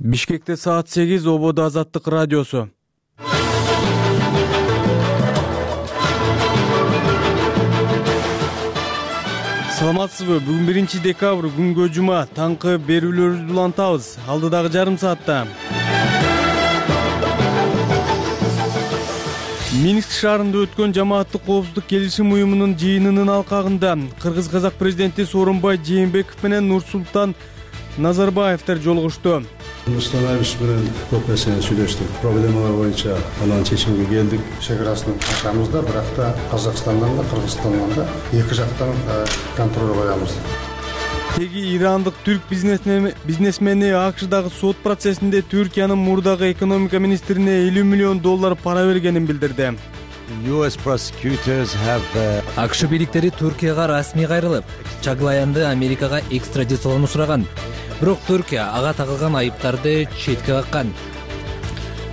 Бишкекте саат 8 ободо Азаттык радиосу. Саламатсызбы? Бүгүн 1 декабрь күнгө жума. Таңкы берүүлөрүбүздү улантабыз. Алдыдагы жарым саатта Минск шаарында өткөн жамааттык коопсуздук келишим уюмунун жыйынынын алкагында кыргыз-казак президенти Сооронбай Жээнбеков менен Нурсултан Назарбаевдер жолугушту. Нурсултан Абишевич менен көп нерсени сүйлөштүк. Проблемалар боюнча анан чечимге келдик. Чекарасын ачабыз да, бирок да Казакстандан да, Кыргызстандан да эки жактан контроль коебуз. Теги ирандык түрк бизнесмени АКШдагы сот процессинде Түркиянын мурдагы экономика министрине $50 миллион пара бергенин билдирди. АКШ бийликтери Түркияга расмий кайрылып, Чаглаянды Америкага экстрадициялоону сураган. Бирок Түркия ага тагылган айыптарды четке каккан.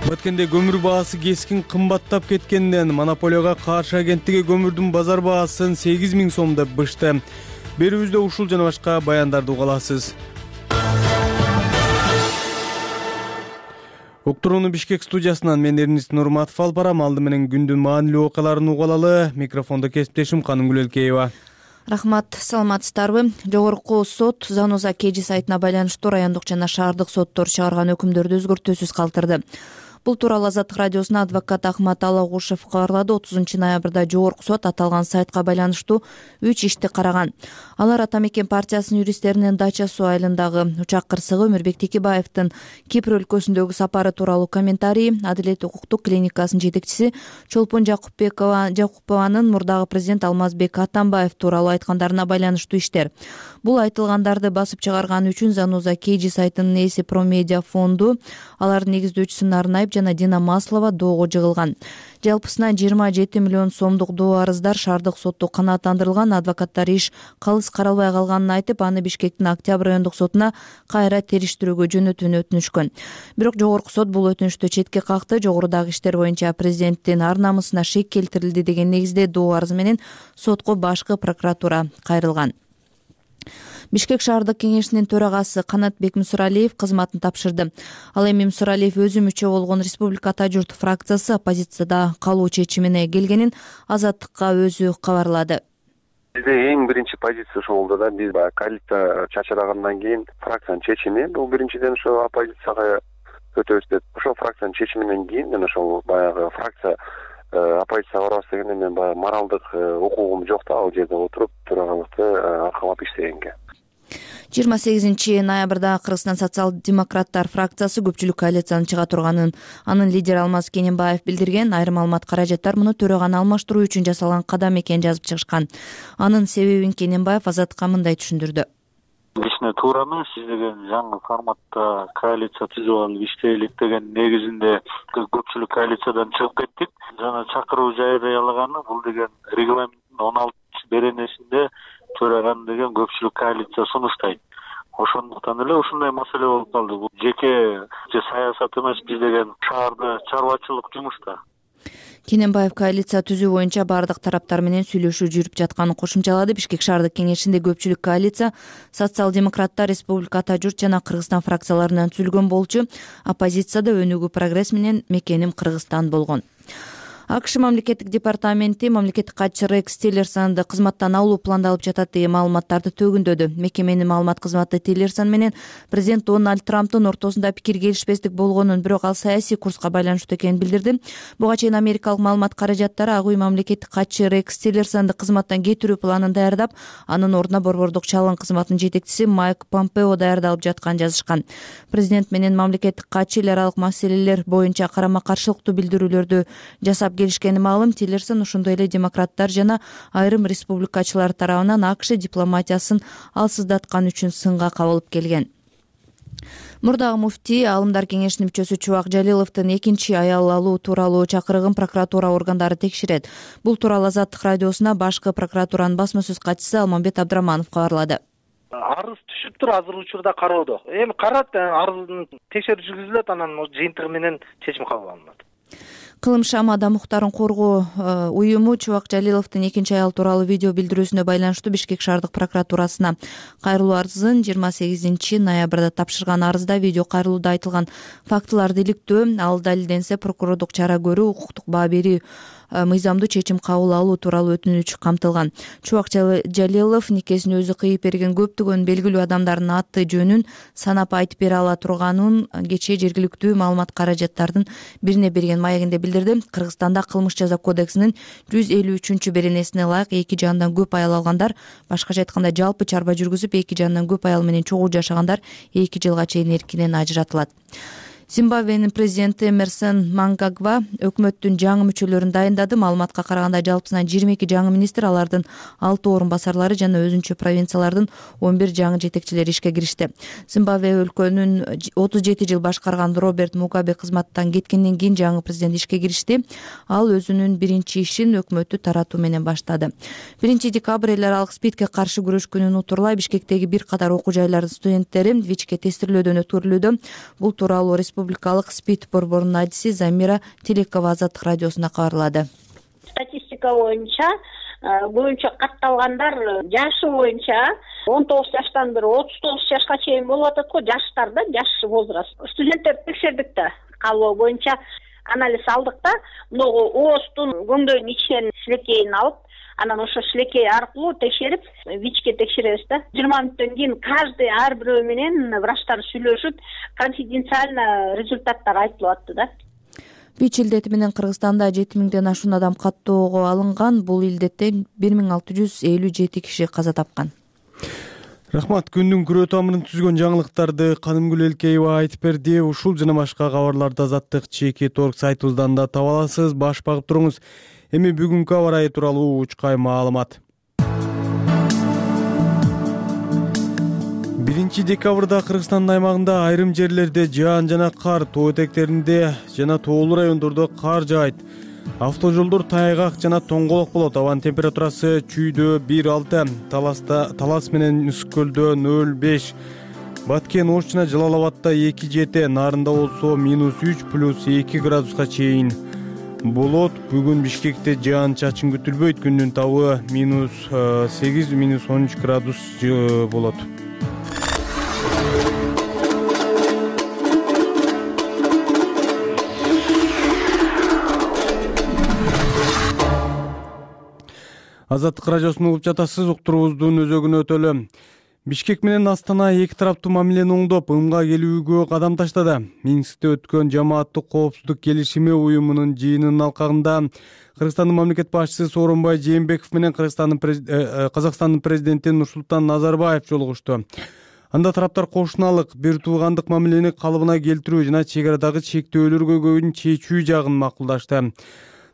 Баткенде көмүр баасы кескин кымбаттап кеткенден монополияга каршы агенттиги көмүрдүн базар баасын 8.000 сом деп бышты. Берүүбүздө ушул жана башка баяндарды уга аласыз. Уктурууну Бишкек студиясынан мен Эрнис Нурматов алып барам. Алды менен күндүн маанилүү окуяларын уга алалы. Микрофондо кесиптешим Канымгүл Элкеева. Рахмат, саламатсыздарбы? Жогорку сот Заноза Кежи сайтына байланыштуу райондук жана шаардык соттор чыгарган өкүмдөрдү өзгөртүүсүз калтырды. Бул тууралуу Азаттык радиосуна адвокат Ахмат Алагушев кабарлады. 30 ноябрда жогорку сот аталган сайтка байланыштуу 3 ишти караган. Алар Ата Мекен партиясынын юристтеринин Дача суу айылындагы учак кырсыгы, Өмүрбек Текебаевдин Кипр өлкөсүндөгү сапары тууралуу комментарий, Адилет укуктук клиникасынын жетекчиси Чолпон Жакупованын мурдагы президент Алмазбек Атамбаев тууралуу айткандарына байланыштуу иштер. Бул айтылгандарды басып чыгарган үчүн Заноза Кежи сайтынын ээси Промедиа фонду, алардын негиздөөчүсү Нарнаев жана Дина Маслова доого жыгылган. Жалпысынан 27 миллион сомдук доо арыздар шаардык сотто канааттандырылган. Адвокаттар иш калыс каралбай калганын айтып, аны Бишкектин Октябрь райондук сотуна кайра териштирүүгө жөнөтүүнү өтүнүшкөн. Бирок жогорку сот бул өтүнүштү четке какты. Жогорудагы иштер боюнча президенттин ар намысына шек келтирилди деген негизде доо арызы менен сотко башкы прокуратура кайрылган. Бишкек шаардык кеңешинин төрагасы Канат Бекмусуралиев кызматын тапшырды. Ал эми Мусуралиев өзү мүчө болгон Республика Ата журт фракциясы оппозицияда калуу чечимине келгенин Азаттыкка өзү кабарлады. Бизде эң биринчи позиция ошол болду да. Биз коалиция чачырагандан кийин фракциянын чечими, бул биринчиден ошо оппозицияга өтөбүз деп. Ошол фракциянын чечиминен кийин мен ошол баягы фракция оппозицияга барабыз дегенде мен баягы моралдык укугум жок да, ал жерде отуруп төрагалыкты аркалап иштегенге. 28 ноябрда Кыргызстан социал-демократтар фракциясы көпчүлүк коалицияны чыга турганын анын лидери Алмаз Кененбаев билдирген. Айрым маалымат каражаттар муну төраганы алмаштыруу үчүн жасалган кадам экенин жазып чыгышкан. Анын себебин Кененбаев Азаттыкка мындай түшүндүрдү. Кичине туураны сиз деген жаңы форматта коалиция түзүп алып иштейлик деген негизинде көпчүлүк коалициядан чыгып кеттик. Жана чакыруу жарыялаганы бул деген регламенттин 16 беренесинде төраган деген көпчүлүк коалиция сунуштайт. Ошондуктан эле ушундай маселе болуп калды. Бул жеке саясат эмес, биз деген шаарда чарбачылык жумушта. Кененбаев коалиция түзүү боюнча бардык тараптар менен сүйлөшүү жүрүп жатканын кошумчалады. Бишкек шаардык кеңешинде көпчүлүк коалиция социал-демократтар, Республика Ата журт жана Кыргызстан фракцияларынан түзүлгөн болчу. Оппозицияда Өнүгүү прогресс менен Мекеним Кыргызстан болгон. АКШ мамлекеттик департаменти мамлекеттик катчы Рекс Тиллерсонду кызматтан алуу пландалып жатат деген маалыматтарды төгүндөдү. Мекеменин маалымат кызматы Тиллерсон менен президент Дональд Трамптын ортосунда пикир келишпестик болгонун, бирок ал саясий курска байланыштуу экенин билдирди. Буга чейин америкалык маалымат каражаттары Ак үй мамлекеттик катчы Рекс Тиллерсонду кызматтан кетирүү планын даярдап, анын ордуна борбордук чалгын кызматынын жетекчиси Майк Помпео даярдалып жатканын жазышкан. Президент менен мамлекеттик катчы эл аралык маселелер боюнча карама-каршылыктуу билдирүүлөрдү жасап келишкени маалым. Тиллерсон ошондой эле демократтар жана айрым республикачылар тарабынан АКШ дипломатиясын алсыздаткан үчүн сынга кабылып келген. Мурдагы муфтий Аалымдар кеңешинин мүчөсү Чубак Жалиловдун экинчи аял алуу тууралуу чакырыгын прокуратура органдары текшерет. Бул тууралуу Азаттык радиосуна башкы прокуратуранын басма сөз катчысы Алмамбет Абдраманов кабарлады. Арыз түшүптүр, азыр учурда кароодо. Эми карат, арыздын текшерүү жүргүзүлөт, анан жыйынтыгы менен чечим кабыл алынат. Кылым Шам адам укуктарын коргоо уюму Чубак Жалиловдун экинчи аял тууралуу видео билдирүүсүнө байланыштуу Бишкек шаардык прокуратурасына кайрылуу арызын 28 ноябрда тапшырган. Арызда видео кайрылууда айтылган фактыларды иликтөө, ал далилденсе прокурордук чара көрүү, укуктук баа берүү, мыйзамдуу чечим кабыл алуу тууралуу өтүнүч камтылган. Чубак Жалилов никесин өзү кыйып берген көптөгөн белгилүү адамдардын аты жөнүн санап айтып бере ала турганын кечээ жергиликтүү маалымат каражаттардын бирине берген маегинде билдирди. Кыргызстанда кылмыш жаза кодексинин 153 беренесине ылайык эки жандан көп аял алгандар, башкача айтканда жалпы чарба жүргүзүп эки жандан көп аял менен чогуу жашагандар 2 жылга чейин эркинен ажыратылат. Зимбабвенин президенти Эмерсон Мнангагва өкмөттүн жаңы мүчөлөрүн дайындады. Маалыматка караганда жалпысынан 22 жаңы министр, алардын 6 орун басарлары жана өзүнчө провинциялардын 11 жаңы жетекчилери ишке киришти. Зимбабве өлкөнүн 37 жыл башкарган Роберт Мугабе кызматтан кеткенден кийин жаңы президент ишке киришти. Ал өзүнүн биринчи ишин өкмөттү таратуу менен баштады. 1 декабрь эл аралык СПИДке каршы күрөш күнүн утурлай Бишкектеги бир катар окуу жайлардын студенттери ВИЧке тестирлөөдөн өткөрүлүүдө. Бул тууралуу Республикалык СПИД борборунун адиси Замира Телекова Азаттык радиосуна кабарлады. Статистика боюнча көбүнчө катталгандар жашы боюнча 19 жаштан 39 жашка чейин болуп атат го, жаштарда, жаш возраст. Студенттер текшердик да, кабыл боюнча анализ алдык да, могу ооздун көңдөйүнүн ичинен шилекейин алып, анан ошо шилекей аркылуу текшерип, ВИЧке текшеребиз да. 20 мүнөттөн кийин каждый ар бирөө менен врачтар сүйлөшүп, конфиденциально результаттар айтылып атты да. ВИЧ илдети менен Кыргызстанда 7000ден ашуун адам каттоого алынган. Бул илдеттен 1657 киши каза тапкан. Рахмат. Күндүн күрөө тамырын түзгөн жаңылыктарды Канымгүл Элкеева айтып берди. Ушул жана башка кабарларды Азаттык чеки торг сайтыбыздан да таба аласыз. Баш багып туруңуз. Эми бүгүнкү аба ырайы тууралуу учкай маалымат. 1 декабрда Кыргызстандын аймагында айрым жерлерде жаан жана кар, тоо этектеринде жана тоолуу райондордо кар жаайт. Автожолдор тайгак жана тоңголок болот. Абанын температурасы Чүйдө 1,6, Талас менен Үскөлдө 0,5, Баткен, Ош жана Жалал-Абадда 2,7, Нарында болсо -3 плюс 2 градуска чейин болот. Бүгүн Бишкекте жаан чачын күтүлбөйт. Күндүн табы -8, -13 градус болот. Азаттык радиосун угуп жатасыз. Уктуруубуздун өзөгүнө өтөлү. Бишкек менен Астана эки тараптуу мамилени оңдоп, ымга келүүгө кадам таштады. Минскте өткөн жамааттык коопсуздук келишими уюмунун жыйынынын алкагында Кыргызстандын мамлекет башчысы Сооронбай Жээнбеков менен Казакстандын президенти Нурсултан Назарбаев жолугушту. Анда тараптар кошуналык, бир туугандык мамилени калыбына келтирүү жана чек арадагы чектөөлөргө чечүү жагын макулдашты.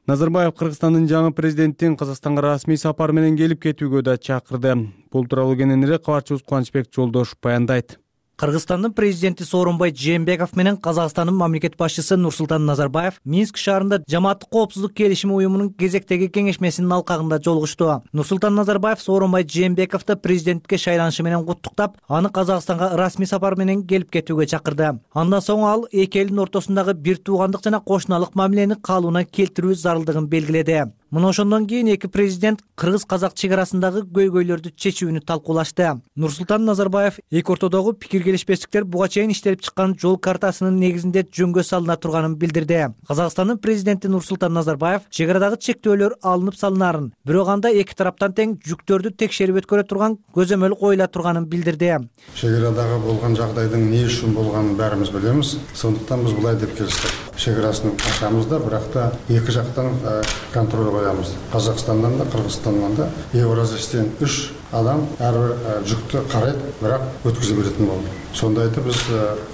Назарбаев Кыргызстандын жаңы президентин Казакстанга расмий сапар менен келип кетүүгө да чакырды. Бул тууралуу кененирээк кабарчыбыз Кубанычбек Жолдошов баяндайт. Кыргызстандын президенти Сооронбай Жээнбеков менен Казакстандын мамлекет башчысы Нурсултан Назарбаев Минск шаарында жамааттык коопсуздук келишими уюмунун кезектеги кеңешмесинин алкагында жолугушту. Нурсултан Назарбаев Сооронбай Жээнбековду президентке шайланышы менен куттуктап, аны Казакстанга расмий сапар менен келип кетүүгө чакырды. Андан соң ал эки элдин ортосундагы бир туугандык жана кошуналык мамилени калыбына келтирүү зарылдыгын белгиледи. Мына ошондон кийин эки президент кыргыз-казак чек арасындагы көйгөйлөрдү чечүүнү талкуулашты. Нурсултан Назарбаев эки ортодогу пикир келишпестиктер буга чейин иштелип чыккан жол картасынын негизинде жөнгө салына турганын билдирди. Казакстандын президенти Нурсултан Назарбаев чек арадагы чектөөлөр алынып салынарын, бирок анда эки тараптан тең жүктөрдү текшерип өткөрө турган көзөмөл коюла турганын билдирди. Чек арадагы болгон жагдайдын эмне үчүн болгонун баарыбыз билебиз. Сондуктан биз булай деп келиштик. Чек арасын ачабыз да, бирок да эки жактан контроль коябыз. Казакстандан да, Кыргызстандан да Евразиядан 3 адам ар бир жүктү карайт, бирок өткүзүп беретін болду. Сонда айтып биз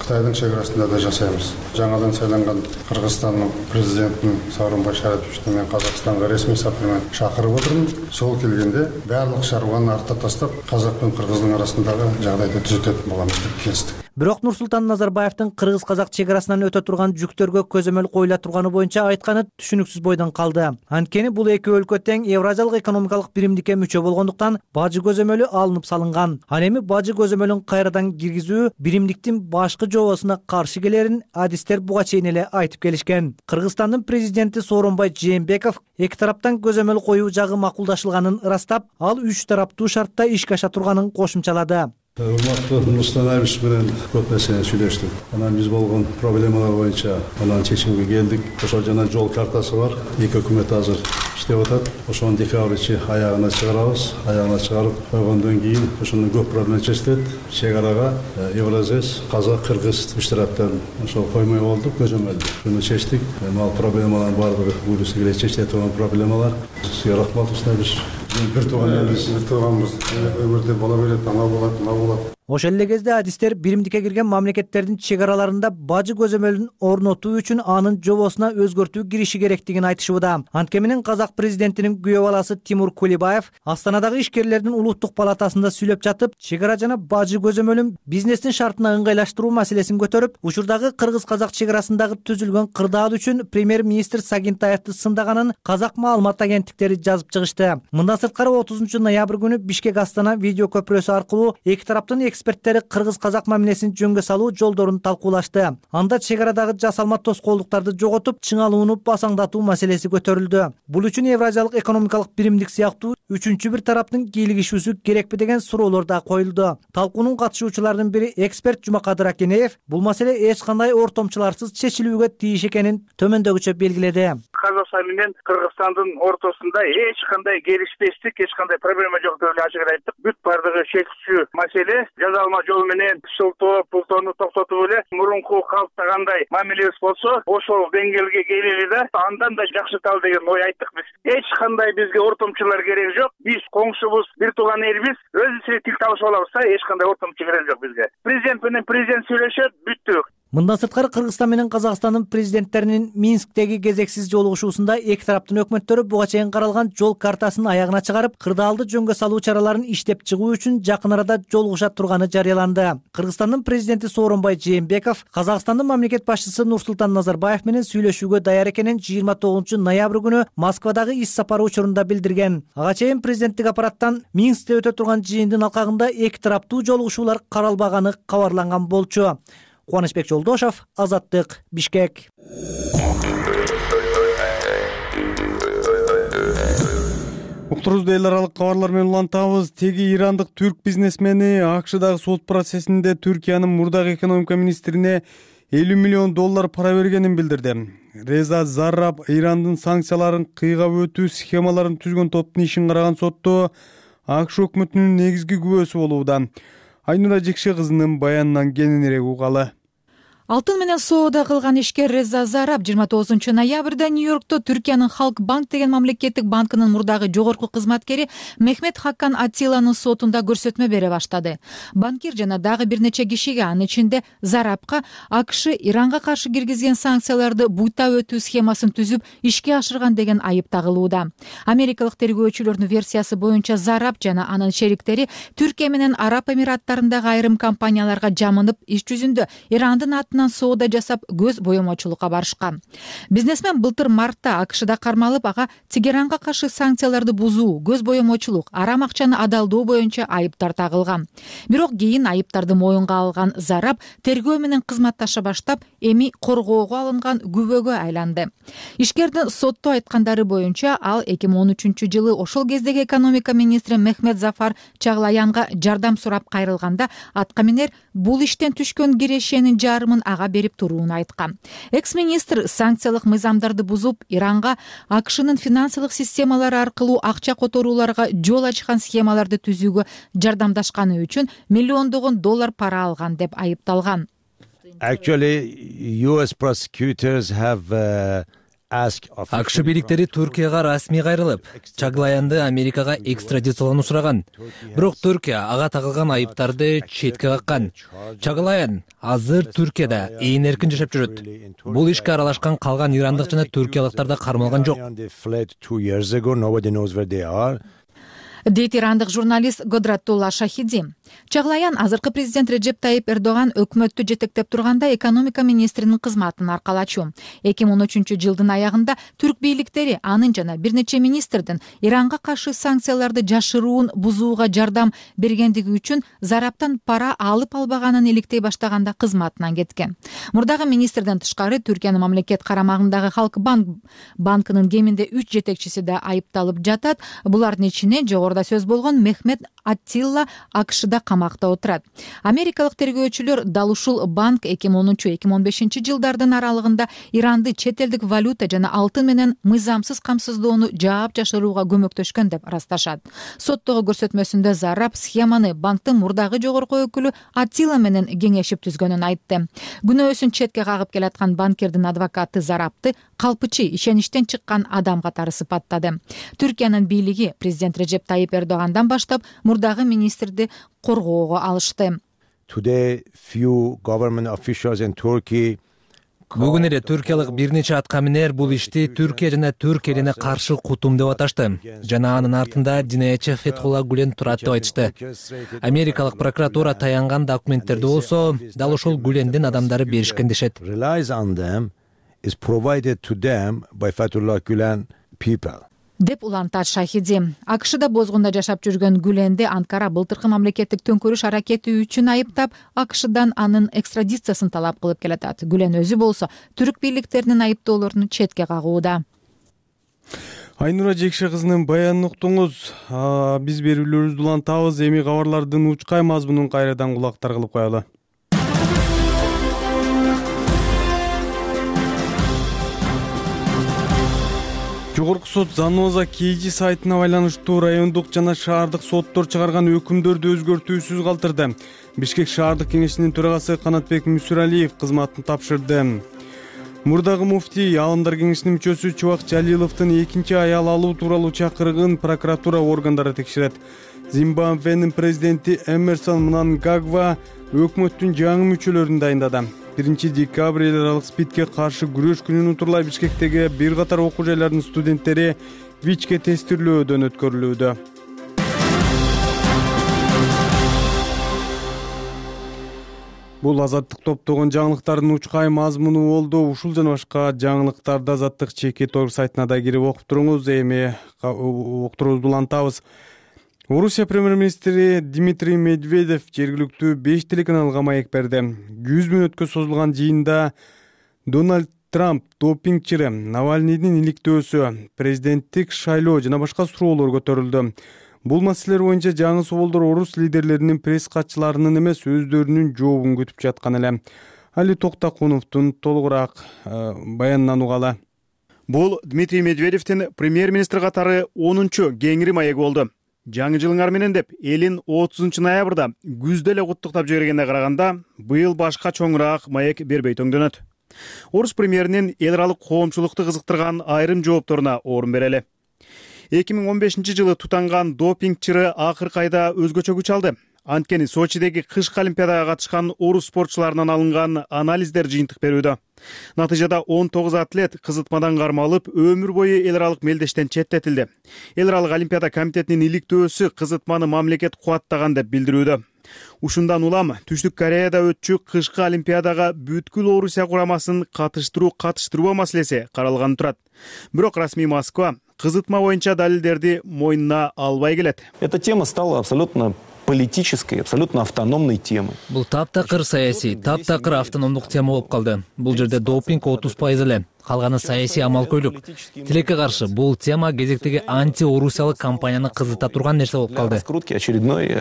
Кытайдын чек арасында да жасайбыз. Жаңадан сайланган Кыргызстандын президентин Сооронбай Шариповичти мен Казакстанга ресми сапар менен чакырып отурмун. Сол келгенде барлык шаруаны артта таштап, казак менен кыргыздын арасындагы жагдайды түзөтөт боламыз деп келиштик. Бирок Нурсултан Назарбаевдин кыргыз-казак чек арасынан өтө турган жүктөргө көзөмөл коюла турганы боюнча айтканы түшүнүксүз бойдон калды. Анткени бул эки өлкө тең Евразиялык экономикалык биримдикке мүчө болгондуктан бажы көзөмөлү алынып салынган. Ал эми бажы көзөмөлүн кайрадан киргизүү биримдиктин башкы жобосуна каршы келерин адистер буга чейин эле айтып келишкен. Кыргызстандын президенти Сооронбай Жээнбеков эки тараптан көзөмөл коюу жагы макулдашылганын ырастап, ал 3 тараптуу шартта ишке аша турганын кошумчалады. Урматтуу Нурсултан Абишевич менен көп нерсени сүйлөштүк. Анан биз болгон проблемалар боюнча анан чечимге келдик. Ошол жана жол картасы бар. Эки өкмөт азыр иштеп атат. Ошону декабрь аягына чыгарабыз. Аягына чыгарып койгондон кийин ошондон көп проблема чечилет. Чек арага Евразес, Казак, Кыргыз үч тараптан ошол коймой болдук, көзөмөлдү. Шуну чечтик. Ал проблемалардын баардыгы буюрса келе чечиле турган проблемалар. Сизге рахмат Нурсултан Абишевич. Бир тууган элибиз, өмүрдө бола берет, ана болот, мына болот. Ошол эле кезде адистер биримдикке кирген мамлекеттердин чек араларында бажы көзөмөлүн орнотуу үчүн анын жобосуна өзгөртүү кириши керектигин айтышууда. Антке менен Казак президентинин күйөө баласы Тимур Кулибаев Астанадагы ишкерлердин улуттук палатасында сүйлөп жатып, чек ара жана бажы көзөмөлүн бизнестин шартына ыңгайлаштыруу маселесин көтөрүп, учурдагы кыргыз-казак чек арасындагы түзүлгөн кырдаал үчүн премьер-министр Сагинтаевди сындаганын Казак маалымат агенттиктери жазып чыгышты. Мындан сырткары 30 ноябрь күнү Бишкек Астана видео көпүрөсү аркылуу эки тараптын эксперттери кыргыз-казак мамилесин жөнгө салуу жолдорун талкуулашты. Анда чек арадагы жасалма тоскоолдуктарды жоготуп, чыңалууну басаңдатуу маселеси көтөрүлдү. Бул үчүн Евразиялык экономикалык биримдик сыяктуу үчүнчү бир тараптын кийлигишүүсү керекпи деген суроолор да коюлду. Талкуунун катышуучуларынын бири эксперт Жумакадыр Акенеев бул маселе эч кандай ортомчуларсыз чечилүүгө тийиш экенин төмөндөгүчө белгиледи. Казакстан менен Кыргызстандын ортосунда эч кандай келишпестик, эч кандай проблема жок деп эле ачык айттык. Бүт бардыгы чечүүчү маселе жазалма жол менен шылтоо, пултоону токтотуп эле мурунку калыптагандай мамилебиз болсо, ошол деңгээлге келели да андан да жакшырталы деген ой айттык биз. Эч кандай бизге ортомчулар керек жок. Биз коңшубуз, бир тууган элбиз. Өзүбүз тил табышып алабыз да, эч кандай ортомчу керек жок бизге. Президент менен президент сүйлөшөт, бүттү. Мындан сырткары Кыргызстан менен Казакстандын президенттеринин Минсктеги кезексиз жолугушуусунда эки тараптын өкмөттөрү буга чейин каралган жол картасын аягына чыгарып, кырдаалды жөнгө салуу чараларын иштеп чыгуу үчүн жакын арада жолугуша турганы жарыяланды. Кыргызстандын президенти Сооронбай Жээнбеков Казакстандын мамлекет башчысы Нурсултан Назарбаев менен сүйлөшүүгө даяр экенин 29 ноябрь күнү Москвадагы иш сапары учурунда билдирген. Ага чейин президенттик аппараттан Минскте өтө турган жыйындын алкагында эки тараптуу жолугушуулар каралбаганы кабарланган болчу. Кубанычбек Жолдошов, Азаттык, Бишкек. Уктурубузду эл аралык кабарлар менен улантабыз. Теги ирандык түрк бизнесмени АКШдагы сот процессинде Түркиянын мурдагы экономика министрине $50 миллион пара бергенин билдирди. Реза Зарраб Ирандын санкцияларын кыйгап өтүү схемаларын түзгөн топтун ишин караган сотто АКШ өкмөтүнүн негизги күбөсү болууда. Айнура Жекше кызынын баянынан кененирээк угалы. Алтын менен соода кылган ишкер Реза Зарраб 29 ноябрда Нью-Йоркто Түркиянын Халк банк деген мамлекеттик банкынын мурдагы жогорку кызматкери Мехмет Хаккан Аттиланын сотунда көрсөтмө бере баштады. Банкир жана дагы бир нече кишиге, анын ичинде Заррабка АКШ Иранга каршы киргизген санкцияларды буйтап өтүү схемасын түзүп ишке ашырган деген айып тагылууда. Америкалык тергөөчүлөрдүн версиясы боюнча Зарраб жана анын шериктери Түркия менен Араб Эмираттарындагы айрым компанияларга жамынып, иш жүзүндө Ирандын соода жасап көз боемочулукка барышкан. Бизнесмен былтыр мартта АКШда кармалып, ага Тегеранга каршы санкцияларды бузуу, көз боемочулук, арам акчаны адалдоо боюнча айыптар тагылган. Бирок кийин айыптарды моюнга алган Зарраб тергөө менен кызматташа баштап, эми коргоого алынган күбөгө айланды. Ишкердин сотто айткандары боюнча ал 2013 жылы ошол кездеги экономика министри Мехмет Зафар Чаглаянга жардам сурап кайрылганда, аткаминер бул иштен түшкөн кирешенин жарымын ага берип туруун айткан. Экс-министр санкциялык мыйзамдарды бузуп, Иранга АКШнын финансылык системалары аркылуу акча которууларга жол ачкан схемаларды түзүүгө жардамдашканы үчүн миллиондогон доллар пара алган деп айыпталган. Actually, US prosecutors have АКШ бийликтери Түркияга расмий кайрылып, Чаглаянды Америкага экстрадициялоону сураган. Бирок Түркия ага тагылган айыптарды четке каккан. Чаглаян азыр Түркияда ээн эркин жашап жүрөт. Бул ишке аралашкан калган ирандык жана түркиялыктар да кармалган жок. дейт ирандык журналист Годратулла Шахиди. Чаглаян азыркы президент Реджеп Тайип Эрдоган өкмөттү жетектеп турганда экономика министринин кызматын аркалачу. 2013-жылдын аягында түрк бийликтери анын жана бир нече министрдин Иранга каршы санкцияларды жашыруун бузууга жардам бергендиги үчүн зараптан пара алып албаганын иликтей баштаганда кызматынан кеткен. Мурдагы министрден тышкары Түркиянын мамлекет карамагындагы Халк банкынын кеминде 3 жетекчиси да айыпталып жатат. Булардын ичине жогоруда сөз болгон Мехмет Аттилла АКШда камакта отурат. Америкалык тергөөчүлөр дал ушул банк 2013-2015 жылдардын аралыгында Иранды чет элдик валюта жана алтын менен мыйзамсыз камсыздоону жаап жашырууга көмөктөшкөн деп ырасташат. Соттогу көрсөтмөсүндө Зарап схеманы банктын мурдагы жогорку өкүлү Аттила менен кеңешип түзгөнүн айтты. Күнөөсүн четке кагып келаткан банкирдин адвокаты Зарапты калпычы, ишеништен чыккан адам катары сыпаттады. Түркиянын бийлиги президент Реджеп Тайип Эрдогандан баштап мурдагы министрди коргоого алышты. Today, few government officials in Turkey Бүгүн эле түркиялык бир нече аткаминер бул ишти Түркия жана түрк элине каршы кутум деп аташты. Жана анын артында динаячы Фетхулла Гүлен турат деп айтышты. Америкалык прокуратура таянган документтерди болсо, дал ошол Гүлендин адамдары беришкен дешет. is provided to them by Fethullah Gülen people. Деп улантат Шахиди. АКШда бозгунда жашап жүргөн Гүленди Анкара былтыркы мамлекеттик төңкөрүш аракети үчүн айыптап, АКШдан анын экстрадициясын талап кылып келатат. Гүлен өзү болсо түрк бийликтеринин айыптоолорун четке кагууда. Айнура Жекше кызынын баянын уктуңуз. Биз берүүлөрүбүздү улантабыз. Эми кабарлардын учкай мазмунун кайрадан кулактар кылып коелу. Жогорку сот Заноза KG сайтына байланыштуу райондук жана шаардык соттор чыгарган өкүмдөрдү өзгөртүүсүз калтырды. Бишкек шаардык кеңешинин төрагасы Канатбек Мүсүралиев кызматын тапшырды. Мурдагы муфтий Аалымдар кеңешинин мүчөсү Чубак Жалиловдун экинчи аял алуу тууралуу чакырыгын прокуратура органдары текшерет. Зимбабвенин президенти Эмерсон Мнангагва өкмөттүн жаңы мүчөлөрүн дайындады. 1 декабрь эл аралык СПИДке каршы күрөш күнүн утурлай Бишкектеги бир катар окуу жайларынын студенттери ВИЧке тестирлөөдөн өткөрүлүүдө. Бул азаттык топтогон жаңылыктардын учкай мазмуну болду. Ушул жана башка жаңылыктарды Азаттык ЧК сайтына да кирип окуп туруңуз. Эми уктуруубузду улантабыз. Орусия премьер-министри Дмитрий Медведев жергиликтүү 5 телеканалга маек берди. 100 мүнөткө созулган жыйында Дональд Трамп допингчири Навальныйдын иликтөөсү, президенттик шайлоо жана башка суроолор көтөрүлдү. Бул маселелер боюнча жаңы суолдор орус лидерлеринин пресс катчыларынын эмес өздөрүнүн жообун күтүп жаткан эле. Али Токтакуновдун толугураак баянынан угалы. Бул Дмитрий Медведевдин премьер-министр катары 10-чу кеңири маеги болду. Жаңы жылыңар менен деп элин 30 ноябрда күздө эле куттуктап жибергенге караганда, быйыл башка чоңураак маек бербей төңдөнөт. Орус премьеринин эл аралык коомчулукту кызыктырган айрым жоопторуна орун берели. 2015 жылы тутанган допингчири акыркы айда өзгөчө күч алды. Анткени Сочидеги кышкы олимпиадага катышкан орус спортчуларынан алынган анализдер жыйынтык берүүдө. Натыйжада 19 атлет кызытмадан кармалып, өмүр бою эл аралык мелдештен четтетилди. Эл аралык олимпиада комитетинин иликтөөсү кызытманы мамлекет кубаттаган деп билдирүүдө. Ушундан улам Түштүк Кореяда өтчү кышкы олимпиадага бүткүл Орусия курамасын катыштыруу маселеси каралган турат. Бирок расмий Москва кызытма боюнча далилдерди мойнуна албай келет. Эта тема стала абсолютно политической, абсолютно автономной темы. Бул таптакыр саясий, таптакыр автономдук тема болуп калды. Бул жерде допинг 30% эле, калганы саясий амалкөйлүк. Тилекке каршы бул тема кезектеги анти-орусиялык кампанияны кызыта турган нерсе болуп калды. Раскрутки очередной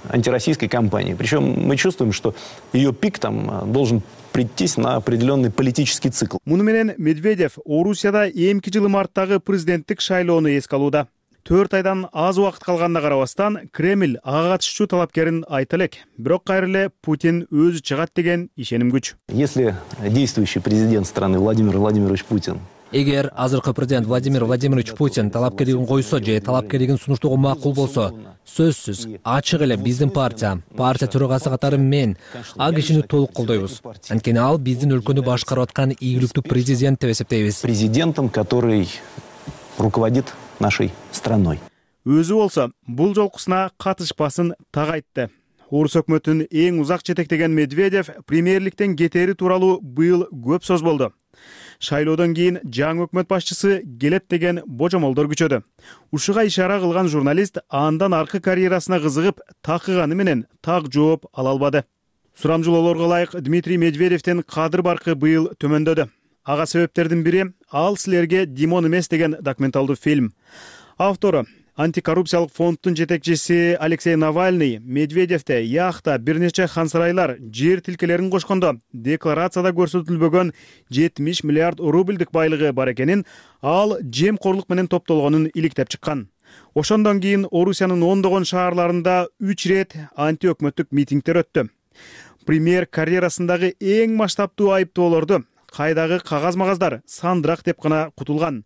антироссийской кампании. Причем мы чувствуем, что ее пик там должен прийтись на определенный политический цикл. Муну менен Медведев Орусияда эмки жылы марттагы президенттик шайлоону эске алууда. 4 айдан аз убакыт калганына карабастан Кремль ага катышчу талапкерин айта элек. Бирок кайра эле Путин өзү чыгат деген ишеним күч. Если действующий президент страны Владимир Владимирович Путин Эгер азыркы президент Владимир Владимирович Путин талапкерлигин койсо же талапкерлигин сунуштоого макул болсо, сөзсүз ачык эле биздин партия төрагасы катары мен ал кишини толук колдойбуз. Анткени ал биздин өлкөнү башкарып аткан ийгиликтүү президент деп эсептейбиз. Президентом, который руководит нашей страной. өзү болсо бул жолкусуна катышпасын так айтты. Орус өкмөтүн эң узак жетектеген Медведев премьерликтен кетери тууралуу быйыл көп сөз болду. Шайлоодон кийин жаңы өкмөт башчысы келет деген божомолдор күчөдү. Ушуга ишара кылган журналист андан аркы карьерасына кызыгып такыганы менен так жооп ала албады. Сурамжылоолорго ылайык Дмитрий Медведевдин кадыр баркы быйыл төмөндөдү. Ага себептердин бири «Ал силерге Димон эмес» деген документалдуу фильм. Автору антикоррупциялык фонддун жетекчиси Алексей Навальный Медведевде яхта бир нече хансарайлар жер тилкелерин кошкондо декларацияда көрсөтүлбөгөн 70 миллиард рубльдик байлыгы бар экенин, ал жемкорлук менен топтолгонун иликтеп чыккан. Ошондон кийин Орусиянын ондогон шаарларында 3 рет антиөкмөттүк митингдер өттү. Премьер карьерасындагы эң масштабтуу айыптоолорду кайдагы кагаз-магаздар сандырак деп гана кутулган.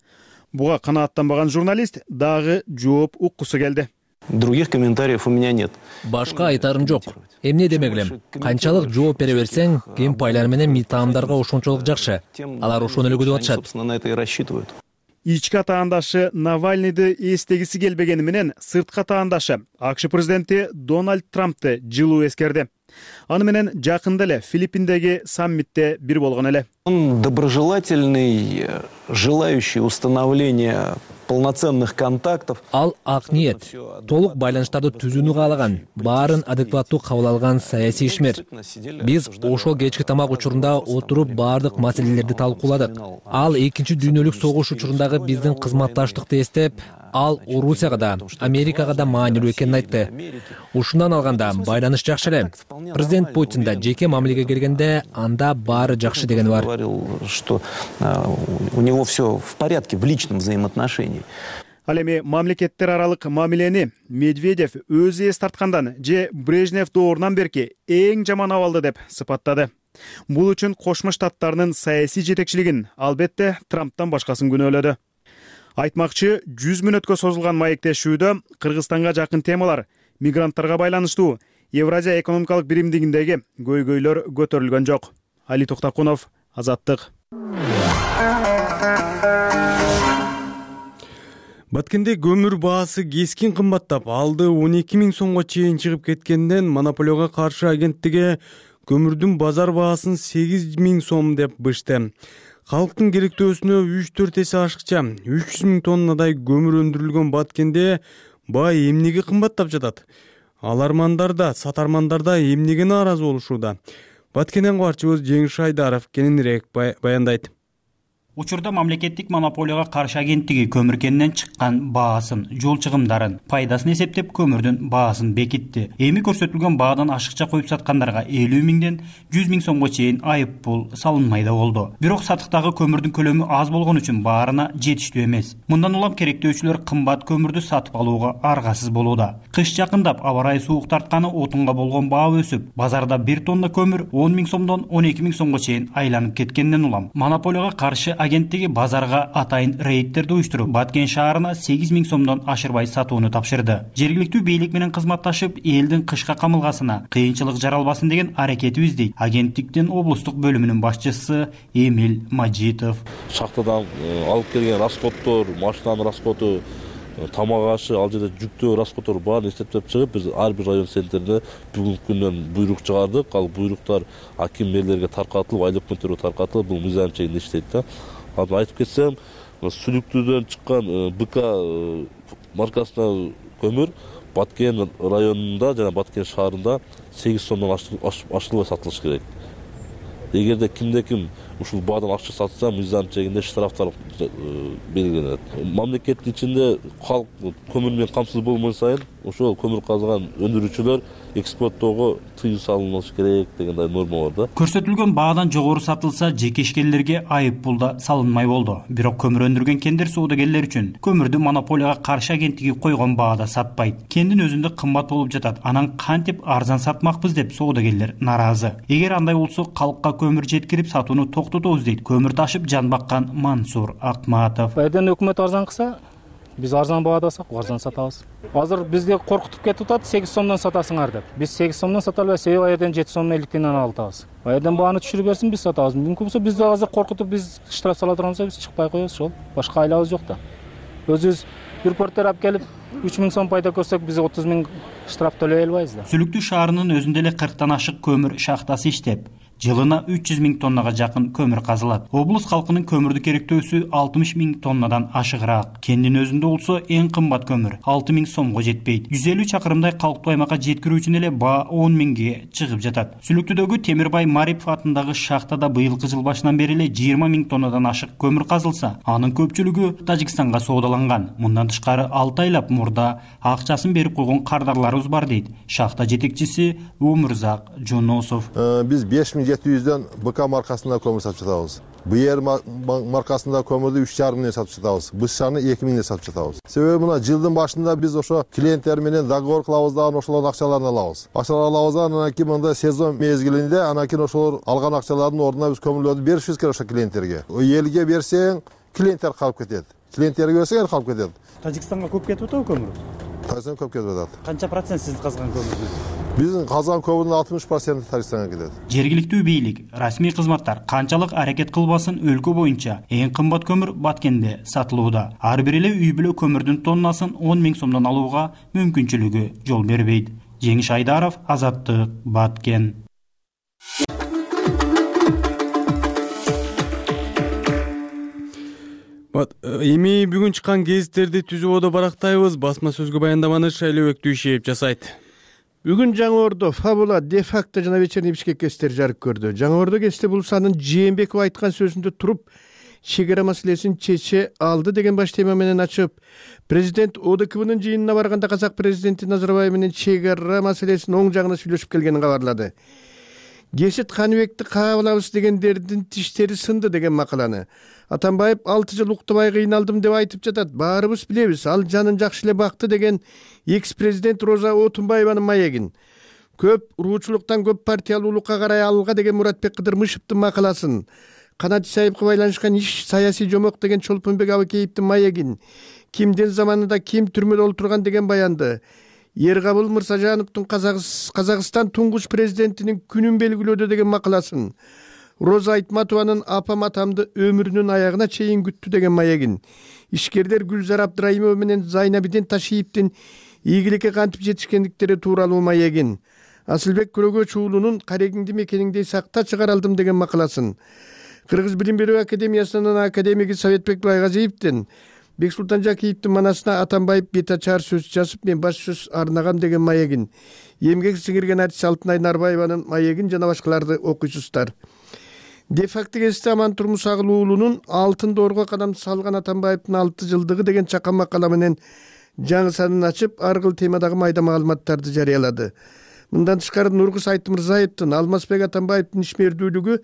Буга канааттанбаган журналист дагы жооп уккусу келди. Других комментариев у меня нет. Башка айтарым жок. Эмне демеклем? Канчалык жооп бере берсең, кем пайлар менен митаамдарга ошончолук жакшы. Алар ошону эле күтүп атышат. Собственно, на это и рассчитывают. Ички атаандашы Навальныйды эстегиси келбегени менен сырткы атаандашы АКШ президенти Дональд Трампты жылуу эскерди. Аны менен жакында эле Филиппиндеги саммитте бир болгон эле. Он доброжелательный, желающий установления полноценных контактов. Ал ак ниет, толук байланыштарды түзүүнү каалаган, баарын адекваттуу кабыл алган саясий ишмер. Биз ошол кечки тамак учурунда отуруп баардык маселелерди талкууладык. Ал экинчи дүйнөлүк согуш учурундагы биздин кызматташтыкты эстеп, ал Орусияга да, Америкага да маанилүү экенин айтты. Ушундан алганда байланыш жакшы эле. Президент Путин да жеке мамилеге келгенде анда баары жакшы дегени бар. Говорил, что у него все в порядке в личном взаимоотношении. Ал эми мамлекеттер аралык мамилени Медведев өзү эс тарткандан же Брежнев доорунан берки эң жаман абалды деп сыпаттады. Бул үчүн Кошмо Штаттарынын саясий жетекчилигин албетте Трамптан башкасын күнөөлөдү. Айтмакчы 100 мүнөткө созулган маектешүүдө Кыргызстанга жакын темалар, мигранттарга байланыштуу Евразия экономикалык биримдигиндеги көйгөйлөр көтөрүлгөн жок. Али Токтакунов, Азаттык. Баткенде көмүр баасы кескин кымбаттап, алды 12 000 сомго чейин чыгып кеткенден Монополияга каршы агенттиги көмүрдүн базар баасын 8 000 сом деп бышты. Халктын керектөөсүнө 3-4 эсе ашыкча 300 000 тоннадай көмүр өндүрүлгөн Баткенде баа эмнеге кымбаттап жатат? Алармандар да, сатармандар да эмнеге нааразы болушууда? Баткенден кабарчыбыз Жеңиш Айдаров кененирээк баяндайт. Учурда мамлекеттик монополияга каршы агенттиги көмүр кенинен чыккан баасын, жол чыгымдарын, пайдасын эсептеп көмүрдүн баасын бекитти. Эми көрсөтүлгөн баадан ашыкча коюп саткандарга 50 000ден 100 000 сомго чейин айып пул салынмай да болду. Бирок сатыктагы көмүрдүн көлөмү аз болгон үчүн баарына жетиштүү эмес. Мындан улам керектөөчүлөр кымбат көмүрдү сатып алууга аргасыз болууда. Кыш жакындап, аба ырайы суук тартканы отунга болгон баа өсүп, базарда 1 тонна көмүр 10 000 сомдон 12 000 сомго чейин айланып кеткенден улам монополияга каршы агенттиги базарга атайын рейдтерди уюштуруп, Баткен шаарына 8 000 сомдон ашырбай сатууну тапшырды. Жергиликтүү бийлик менен кызматташып, элдин кышка камылгасына кыйынчылык жаралбасын деген аракетибиз дейт агенттиктин облустук бөлүмүнүн башчысы Эмиль Маджитов. Шахтадан алып келген расходдор, машинанын расходу, тамак ашы, ал жерде жүктөө расходдор баарын эсептеп чыгып, биз ар бир район центринде бүгүнкү күндөн буйрук чыгардык. Ал буйруктар аким мэрлерге таркатылып, айыл өкмөттөргө таркатылып, бул мыйзам чегинде иштейт да. Айтып кетсем, Сүлүктүүдөн чыккан БК маркасына көмүр Баткен районунда жана Баткен шаарында 8 сомдон ашылбай сатылыш керек. Эгерде кимде-ким ушул баадан акча сатса, мыйзам чегинде штрафтар белгиленет. Мамлекеттин ичинде калк көмүр менен камсыз болмой сайын, ошол көмүр казган өндүрүүчүлөр экспорттоого тыюу салынышы керек дегендей норма бар да. Көрсөтүлгөн баадан жогору сатылса, жеке ишкерлерге айып пул да салынмай болду. Бирок көмүр өндүргөн кендер соодагерлер үчүн көмүрдү монополияга каршы агенттиги койгон баада сатпайт. Кендин өзүндө кымбат болуп жатат. Анан кантип арзан сатмакпыз деп соодагерлер нааразы. Эгер андай болсо, калкка көмүр жеткирип сатууну токтотобуз дейт көмүр ташып жан баккан Мансур Акматов. Эден өкмөт арзан кылса, биз арзан баада арзан сатабыз. Азыр бизди коркутуп кетип атат, 8 сомдон сатасыңар деп. Биз 8 сомдон сата албайбыз, себеби аерден 7 сом 50 тиңден алабыз. Аерден бааны түшүрүп берсин, биз сатабыз. Мүмкүн болсо бизди азыр коркутуп, биз штраф сала турганбыз, биз чыкпай коебуз, ошол. Башка айлабыз жок да. Өзүбүз репортер алып келип, 3000 сом пайда көрсөк биз 30 000 штраф төлөй албайбыз да. Сүлүктүү шаарынын өзүндө эле 40тан ашык көмүр шахтасы иштеп, жылына 300 000 тоннага жакын көмүр казылат. Облус калкынын көмүрдү керектөөсү 60 000 тоннадан ашыгыраак. Кендин өзүндө болсо эң кымбат көмүр 6 000 сомго жетпейт. 150 чакырымдай калктуу аймакка жеткирүү үчүн эле баа 10 000ге чыгып жатат. Сүлүктүүдөгү Темирбай Марипов атындагы шахтада быйылкы жыл башынан бери эле 20 000 тоннадан ашык көмүр казылса, анын көпчүлүгү Тажикстанга соодаланган. Мындан тышкары 6 айлап мурда акчасын берип койгон кардарларыбыз бар дейт шахта жетекчиси Өмүрзак Жоносов. Биз 5700дөн БК маркасында көмүр сатып жатабыз. БР маркасында көмүрдү 3,5 миңден сатып жатабыз. БШны 2 миңден сатып жатабыз. Себеби мына жылдын башында биз ошо клиенттер менен договор кылабыз да, ошолордун акчаларын алабыз. Акчаларды алабыз, анан кийин мындай сезон мезгилинде анан кийин ошолор алган акчалардын ордуна биз көмүрлөрдү беришибиз керек ошо клиенттерге. Элге берсең, клиенттер калып кетет. Клиенттерге берсең, эл калып кетет. Тажикстанга көп кетип атабы көмүр? Тажикстанга көп кетип атат. Канча процент сиз казган көмүрдүн? Биздин казган көмүрдүн 60% Тажикстанга кетет. Жергиликтүү бийлик, расмий кызматтар канчалык аракет кылбасын өлкө боюнча эң кымбат көмүр Баткенде сатылууда. Ар бир эле үй бүлө көмүрдүн тоннасын 10 000 сомдон алууга мүмкүнчүлүгү жол бербейт. Жеңиш Айдаров, Азаттык, Баткен. Эми бүгүн чыккан гезиттерди түзүп одо барактайбыз. Басма сөзгө баяндаманы Шайлообек Дүйшеев жасайт. Бүгүн Жаңы Ордо, Фабула, Де-факто жана Вечерний Бишкек гезиттери жарык көрдү. Жаңы Ордо гезити бул санын Жээнбеков айткан сөзүндө туруп, чегара маселесин чече алды деген баш тема менен ачып, президент ОДКБнын жыйынына барганда казак президенти Назарбаев менен чегара маселесинин оң жагына сүйлөшүп келгенин кабарлады. Гесит Каныбекти кабылабыз дегендердин тиштери сынды деген макаланы Атамбаев 6 жыл уктабай кыйналдым деп айтып жатат. Баарыбыз билебиз, ал жанын жакшы эле бакты деген экс-президент Роза Отунбаеванын маегин. Көп уруучулуктан көп партиялуулукка карай алга деген Муратбек Кыдырмышевдин макаласын, Канат Исаевге байланышкан иш саясий жомок деген Чолпонбек Абакеевдин маегин, кимдин заманында ким түрмөдө олтурган деген баянды, Эркабыл Мырзажановдун Казакстан туңгуч президентинин күнүн белгилөөдө деген макаласын, Роза Айтматованын апам атамды өмүрүнүн аягына чейин күттү деген маегин, ишкерлер Гүлзар Абдрайымова менен Зайнабидин Ташиевдин ийгиликке кантип жетишкендиктери тууралуу маегин, Асылбек Көрөгөч уулунун Карегиңди мекениңдей сакта чыгаралдым деген макаласын, Кыргыз Билим берүү академиясынын академиги Советбек Байгазиевдин Бексултан Жакиевдин манасына Атамбаев бетачар сөз жазып, мен баш сөз арнагам деген маегин, эмгек сиңирген артист Алтынай Нарбаеванын маегин жана башкаларды окуйсуздар. Де-факто гезити Аман Турмусагыл уулунун алтын доорго кадам салган Атамбаевдин 6 жылдыгы деген чакан макала менен жаңы санын ачып, ар кыл темадагы майда маалыматтарды жарыялады. Мындан тышкары Нургуз Айтмырзаевдин Алмазбек Атамбаевдин ишмердүүлүгү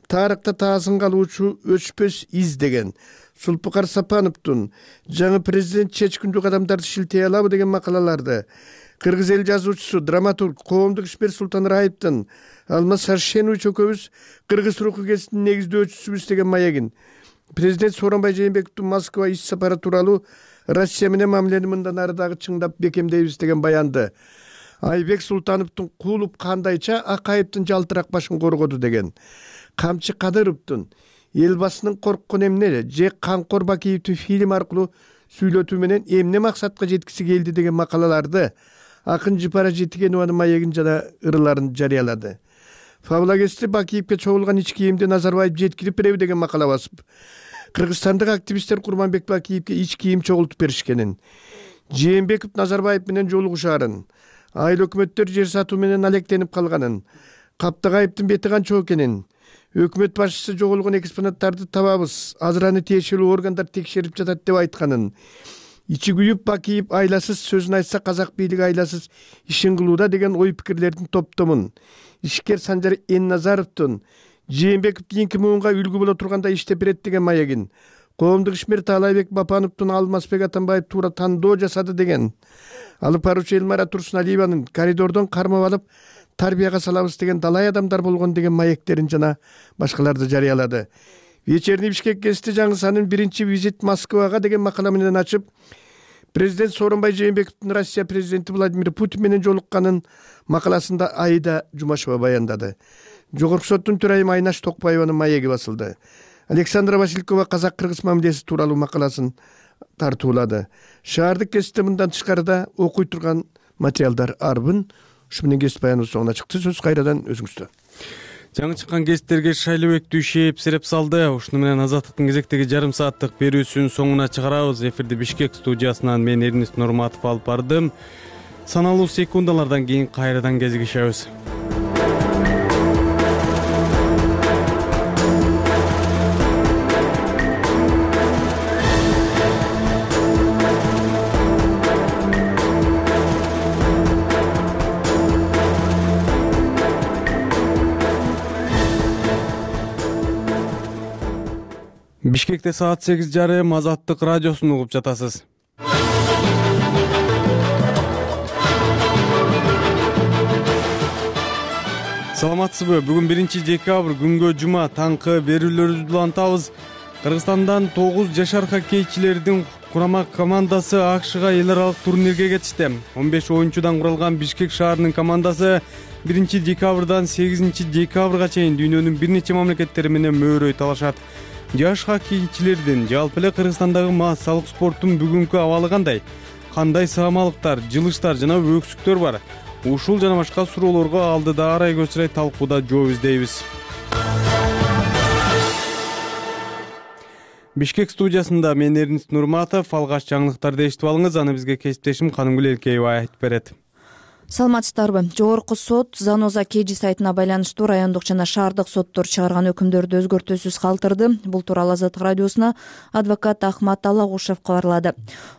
тарыхта таасын калуучу өчпөс из деген, Сулпукар Сапановдун жаңы президент чечкиндүү кадамдарды шилтей алабы деген макалаларды, кыргыз эл жазуучусу, драматург, коомдук ишмер Султан Раевдин Алмаз Саршенович экөөбүз кыргыз руху гезитинин негиздөөчүсүбүз деген маегин, президент Сооронбай Жээнбековдун Москва иш сапары тууралуу Россия менен мамилени мындан ары дагы чыңдап бекемдейбиз деген баянды, Айбек Султановдун куулуп кандайча Акаевдин жалтырак башын коргоду деген, Камчы Кадыровдун элбасынын корккон эмне же Камкор Бакиевдин фильм аркылуу сүйлөтүү менен эмне максатка жеткиси келди деген макалаларды Акын Жыпара Жетигенованын маегин жана ырыларын жарыялады. Фабула гезити Бакиевге чогулган ич кийимди Назарбаев жеткирип береби деген макала басып, кыргызстандык активисттер Курманбек Бакиевге ич кийим чогултуп беришкенин, Жээнбеков Назарбаев менен жолугушаарын, айыл өкмөттөр жер сатуу менен алектенип калганын, Каптагаевдин бети канча экенин, өкмөт башчысы жоголгон экспонаттарды табабыз, азыр аны тиешелүү органдар текшерип жатат деп айтканын, ичи күйүп Бакиев айласыз сөзүн айтса казак бийлиги айласыз ишин кылууда деген ой пикирлердин топтомун, ишкер Санжар Энназаровдун Жээнбеков кийинки муунга үлгү боло турганда иштеп берет деген маегин, коомдук ишмер Таалайбек Бапановдун Алмазбек Атамбаев туура тандоо жасады деген, алып баруучу Элмара Турсуналиеванын коридордон кармап алып тарбияга салабыз деген далай адамдар болгон деген маектерин жана башкаларды жарыялады. Вечерний Бишкек гезити жаңы санын 1-чи визит Москвага деген макала менен ачып, президент Сооронбай Жээнбековдун Россия президенти Владимир Путин менен жолукканын макаласында Аида Жумашева баяндады. Жогорку соттун төрайымы Айнаш Токпаеванын маеги басылды. Александра Василькова казак-кыргыз мамилеси тууралуу макаласын тартуулады. Шаардык кесипте мындан тышкарыда окуй турган материалдар арбын. Ушу менен кесип баяныбыз соңуна чыкты. Сөз кайрадан өзүңүздө. Жаңы чыккан кесиптерге Шайлыбек Дүйшеев сереп салды. Ушуну менен Азаттыктын кезектеги жарым сааттык берүүсүнүн соңуна чыгарабыз. Эфирди Бишкек студиясынан мен Эрнис Нурматов алып бардым. Саналуу секундалардан кийин кайрадан кезигишебиз. Бишкекте саат 8:30 Азаттык радиосун угуп жатасыз. Саламатсызбы? Бүгүн 1-декабрь күнгө жума таңкы берүүлөрүбүздү улантабыз. Кыргызстандан 9 жашар хоккейчилердин курама командасы АКШга эл аралык турнирге кетишти. 15 оюнчудан куралган Бишкек шаарынын командасы 1-декабрдан 8-декабрга чейин дүйнөнүн бир нече мамлекеттери менен мөөрөй талашат. Жаш хоккейчилердин жалпы эле Кыргызстандагы массалык спорттун бүгүнкү абалы кандай? Кандай саамалыктар, жылыштар жана өксүктөр бар? Ушул жана башка суроолорго алдыда арай көчүрөй талкууда жооп издейбиз. Бишкек студиясында мен Эрнис Нурматов, алгач жаңылыктарды эшитип алыңыз, аны бизге кесиптешим Канымгүл Элкеева айтып берет. Саламатсыздарбы? Жогорку сот Заноза KG сайтына байланыштуу райондук жана шаардык соттор чыгарган өкүмдөрдү өзгөртүүсүз калтырды. Бул тууралуу Азаттык радиосуна адвокат Ахмат Алагушев кабарлады.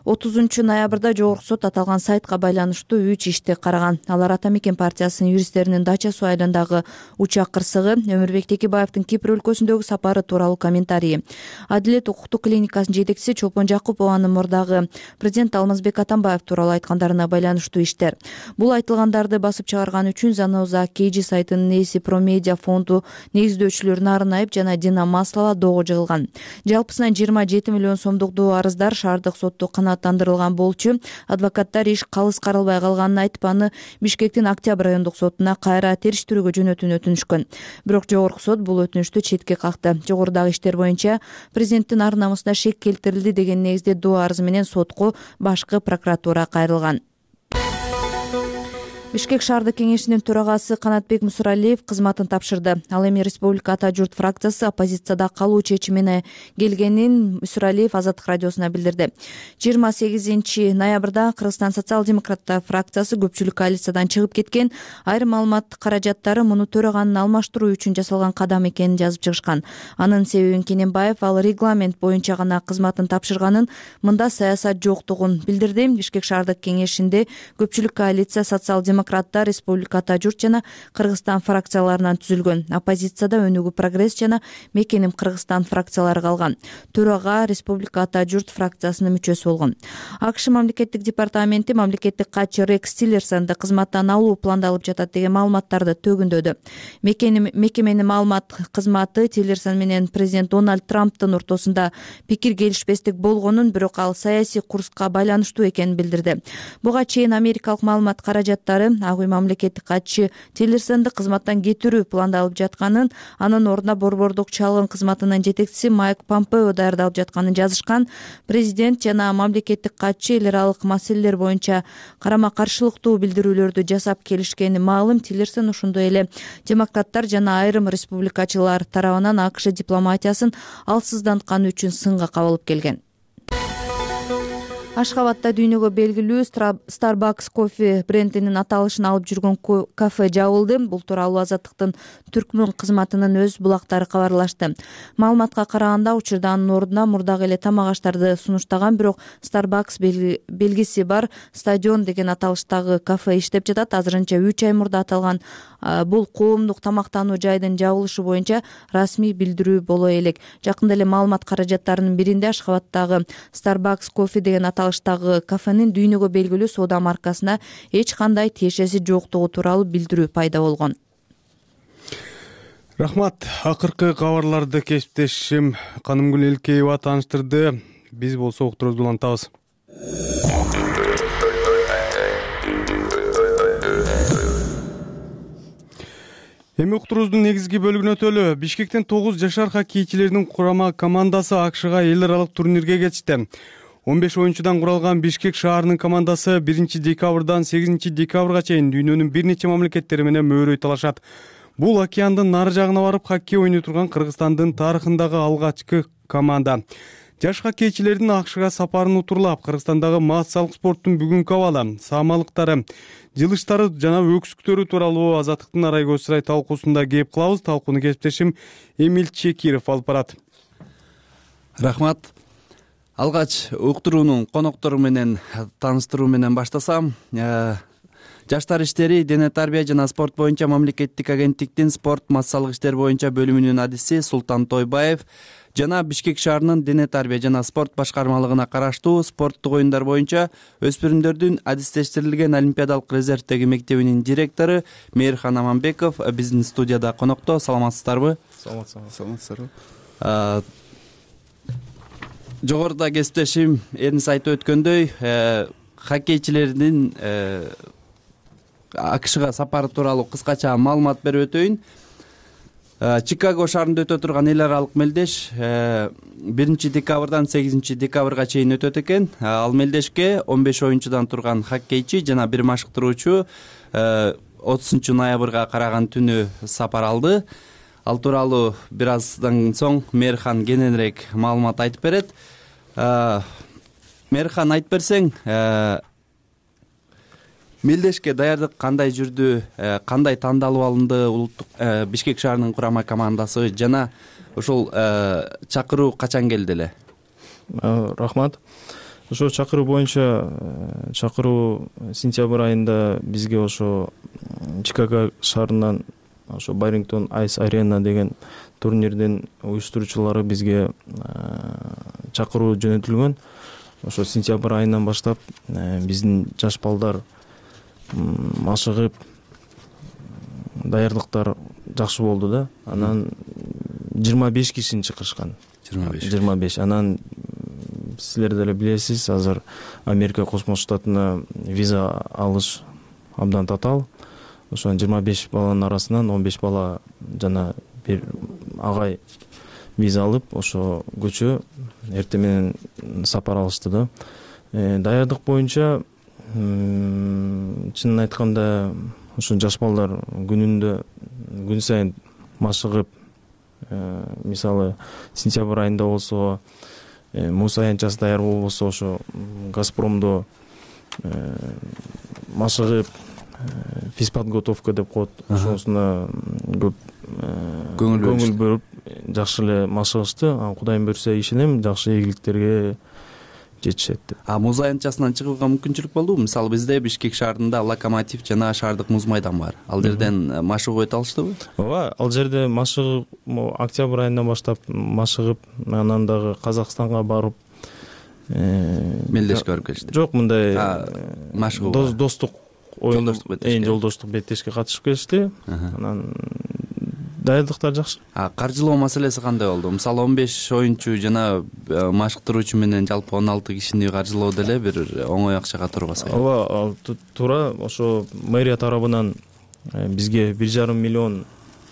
30-ноябрда жогорку сот аталган сайтка байланыштуу 3 ишти караган. Алар Ата Мекен партиясынын юристтеринин дача суу айылындагы учак кырсыгы, Өмүрбек Текебаевдин Кипр өлкөсүндөгү сапары тууралуу комментарийи, Адилет укуктук клиникасынын жетекчиси Чолпон Жакупованын мурдагы президент Алмазбек Атамбаев тууралуу айткандарына байланыштуу иштер. Бул айтылгандарды басып чыгарган үчүн Заноза KG сайтынын ээси Промедиа фонду негиздөөчүлөр Нарынаев жана Дина Маслова доого жыгылган. Жалпысынан 27 миллион сомдук доо арыздар шаардык сотто канааттандырылган болчу. Адвокаттар иш калыс каралбай калганын айтып, аны Бишкектин Октябрь райондук сотуна кайра териштирүүгө жөнөтүүнү өтүнүшкөн. Бирок жогорку сот бул өтүнүштү четке какты. Жогорудагы иштер боюнча президенттин ар намысына шек келтирилди деген негизде доо арызы менен сотко башкы прокуратура кайрылган. Бишкек шаардык кеңешинин төрагасы Канатбек Мусуралиев кызматын тапшырды. Ал эми Республика Ата журт фракциясы оппозицияда калуу чечимине келгенин Мусуралиев Азаттык радиосуна билдирди. 28-ноябрда Кыргызстан социал-демократтар фракциясы көпчүлүк коалициядан чыгып кеткен. Айрым маалымат каражаттары муну төраганын алмаштыруу үчүн жасалган кадам экенин жазып чыгышкан. Анын себебин Кененбаев ал регламент боюнча гана кызматын тапшырганын, мында саясат жоктугун билдирди. Бишкек шаардык кеңешинде көпчүлүк коалиция социал-демократтар, Республика Ата журт жана Кыргызстан фракцияларынан түзүлгөн. Оппозицияда Өнүгүү Прогресс жана Мекеним Кыргызстан фракциялары калган. Төрага Республика Ата журт фракциясынын мүчөсү болгон. АКШ мамлекеттик департаменти мамлекеттик катчы Рекс Тиллерсонду кызматтан алуу пландалып жатат деген маалыматтарды төгүндөдү. Мекеменин маалымат кызматы Тиллерсон менен президент Дональд Трамптын ортосунда пикир келишпестик болгонун, бирок ал саясий курска байланыштуу экенин билдирди. Буга чейин америкалык маалымат каражаттары Ак үй мамлекеттик катчы Тиллерсонду кызматтан кетирүү пландалып жатканын, анын ордуна борбордук чалгын кызматынын жетекчиси Майк Помпео даярдалып жатканын жазышкан. Президент жана мамлекеттик катчы эл аралык маселелер боюнча карама каршылыктуу билдирүүлөрдү жасап келишкени маалым. Тиллерсон ошондой эле демократтар жана айрым республикачылар тарабынан АКШ дипломатиясын алсыздантканы үчүн сынга кабылып келген. Ашхабадда дүйнөгө белгилүү Starbucks кофе брендинин аталышын алып жүргөн кафе жабылды. Бул тууралуу Азаттыктын Түркмөн кызматынын өз булактары кабарлашты. Маалыматка караганда, учурда анын ордуна мурдагы эле тамак аштарды сунуштаган, бирок Starbucks белгиси бар Стадион деген аталыштагы кафе иштеп жатат. Азырынча 3 ай мурда аталган бул коомдук тамактануу жайдын жабылышы боюнча расмий билдирүү боло элек. Жакында эле маалымат каражаттарынын биринде Ашхабаддагы Starbucks кофе деген аталыштагы кафенин дүйнөгө белгилүү соода маркасына эч кандай тиешеси жоктугу тууралуу билдирүү пайда болгон. Рахмат. Акыркы кабарларды кесиптешим Канымгүл Элкеева тааныштырды. Биз болсо уктурубузду улантабыз. Эми уктурубуздун негизги бөлүгүнө өтөлү. Бишкектен 9 жашар хоккейчилердин курама командасы АКШга эл аралык турнирге кетишти. 15 оюнчудан куралган Бишкек шаарынын командасы 1-декабрдан 8-декабрга чейин дүйнөнүн бир нече мамлекеттери менен мөөрөй талашат. Бул океандын нары жагына барып хоккей ойной турган Кыргызстандын тарыхындагы алгачкы команда. Жаш хоккейчилердин АКШга сапарын утурлап, Кыргызстандагы массалык спорттун бүгүнкү абалы, саамалыктары, жылыштары жана өксүктөрү тууралуу Азаттыктын Арай көз сарай талкуусунда кеп кылабыз. Талкууну кесиптешим Эмил Чекиров алып барат. Рахмат. Алгач уктуруунун коноктору менен тааныштыруу менен баштасам. Жаштар иштери, дене тарбия жана спорт боюнча мамлекеттик агенттиктин спорт массалык иштер боюнча бөлүмүнүн адиси Султан Тойбаев жана Бишкек шаарынын дене тарбия жана спорт башкармалыгына караштуу спорттук оюндар боюнча өспүрүмдөрдүн адистештирилген олимпиадалык резервдеги мектебинин директору Мейирхан Аманбеков биздин студияда конокто. Саламатсыздарбы? Саламатсыздарбы. Жогоруда кесиптешим Эрнис айтып өткөндөй, хоккейчилердин АКШга сапары тууралуу кыскача маалымат берип өтөйүн. Чикаго шаарында өтө турган эл аралык мелдеш 1-декабрдан 8-декабрга чейин өтөт экен. Ал мелдешке 15 оюнчудан турган хоккейчи жана бир машыктыруучу 30-ноябрга караган түнү сапар алды. Ал тууралуу бир аздан соң Мейирхан кененирээк маалымат айтып берет. Мейирхан, айтып берсең, мелдешке даярдык кандай жүрдү, кандай тандалып алынды улуттук Бишкек шаарынын курама командасы жана ошол чакыруу качан келди эле? Рахмат. Ошо чакыруу боюнча чакыруу сентябрь айында бизге ошо Чикаго шаарынан ошо Барингтон Айс Арена деген турнирдин уюштуруучулары бизге чакыруу жөнөтүлгөн. Ошо сентябрь айынан баштап биздин жаш балдар машыгып даярдыктар жакшы болду да. Анан 25 кишини чакырышкан. 25. Анан силер деле билесиз, азыр Америка Кошмо Штатына виза алыш абдан татаал. Ошо 25 баланын арасынан 15 бала жана бир агай виза алып, ошо көчө эртең менен сапар алышты да. Даярдык боюнча чынын айтканда ошо жаш балдар күн сайын машыгып, мисалы сентябрь айында болсо муз аянтчасы даяр болбосо ошо Газпромдо машыгып физподготовка деп коет, ошонусуна көп көңүл бөлүп жакшы эле машыгышты. Кудайым буйрса ишенем, жакшы ийгиликтерге жетишет деп. Муз аянтчасынан чыгууга мүмкүнчүлүк болдубу? Мисалы бизде Бишкек шаарында Локомотив жана шаардык муз майдан бар. Ал жерден машыгып өтө алыштыбы? Ооба, ал жерде машыгып октябрь айынан баштап машыгып, анан дагы Казакстанга барып мелдешке барып келишти. Жок, мындай машыгуу достук оюн, жолдоштук беттешке катышып келишти. Анан даярдыктар жакшы. Каржылоо маселеси кандай болду? Мисалы 15 оюнчу жана машыктыруучу менен жалпы 16 кишини каржылоо деле бир оңой акчага турбаса. Ооба, туура. Ошо мэрия тарабынан бизге 1,5 миллион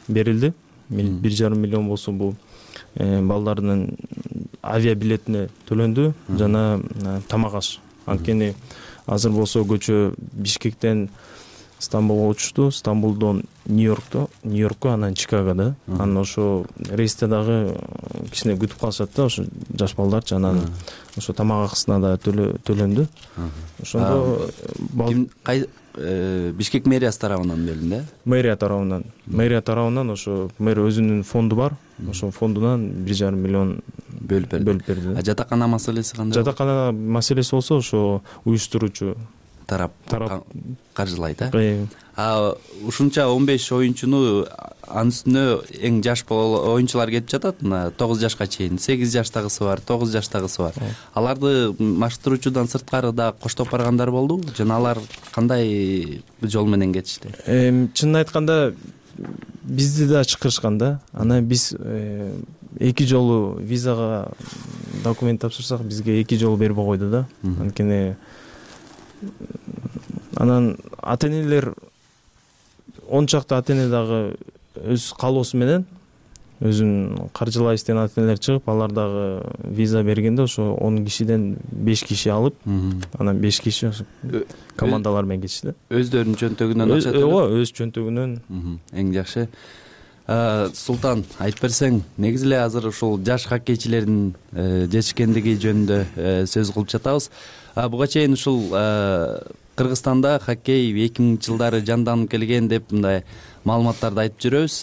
берилди. 1,5 миллион болсо бул балдардын авиабилетине төлөндү жана тамак аш. Анткени азыр болсо көчө Бишкектен Стамбулга учушту, Стамбулдон Нью-Йоркко, анан Чикагода. Анан ошо рейсте дагы кичине күтүп калышат да, ошо жаш балдарчы. Анан ошо тамак акысына да төлөндү. Ошондо Бишкек мэриясы тарабынан берилди, э? Мэрия тарабынан ошо мэр өзүнүн фонду бар. Ошо фондунан 1,5 миллион бөлүп берди. Жатакана маселеси кандай? Жатакана маселеси болсо ошо уюштуруучу тарап каржылайт, э? Ушунча 15 оюнчуну анын үстүнө эң жаш оюнчулар кетип жатат. 9 жашка чейин 8 жаштагысы бар, 9 жаштагысы бар. Аларды машыктыруучудан сырткары да коштоп баргандар болду жана алар кандай жол менен кетишти? Чынын айтканда бизди да чакырышкан да. Анан биз 2 жолу визага документ тапшырсак, бизге 2 жолу бербей койду да. Анткени анан ата-энелер 10 чакты ата-эне дагы өз каалоосу менен өзүн каржылайбыз деген ата-энелер чыгып, алар дагы виза бергенде ошо 10 кишиден 5 киши алып, анан 5 киши командалар менен кетишти. Өздөрүнүн чөнтөгүнөн акча төлөп? Ооба, өз чөнтөгүнөн. Эң жакшы. Султан, айтып берсең, негизи эле азыр ушул жаш хоккейчилердин жетишкендиги жөнүндө сөз кылып жатабыз. Буга чейин ушул Кыргызстанда хоккей 2000 жылдары жанданып келген деп мындай маалыматтарды айтып жүрөбүз.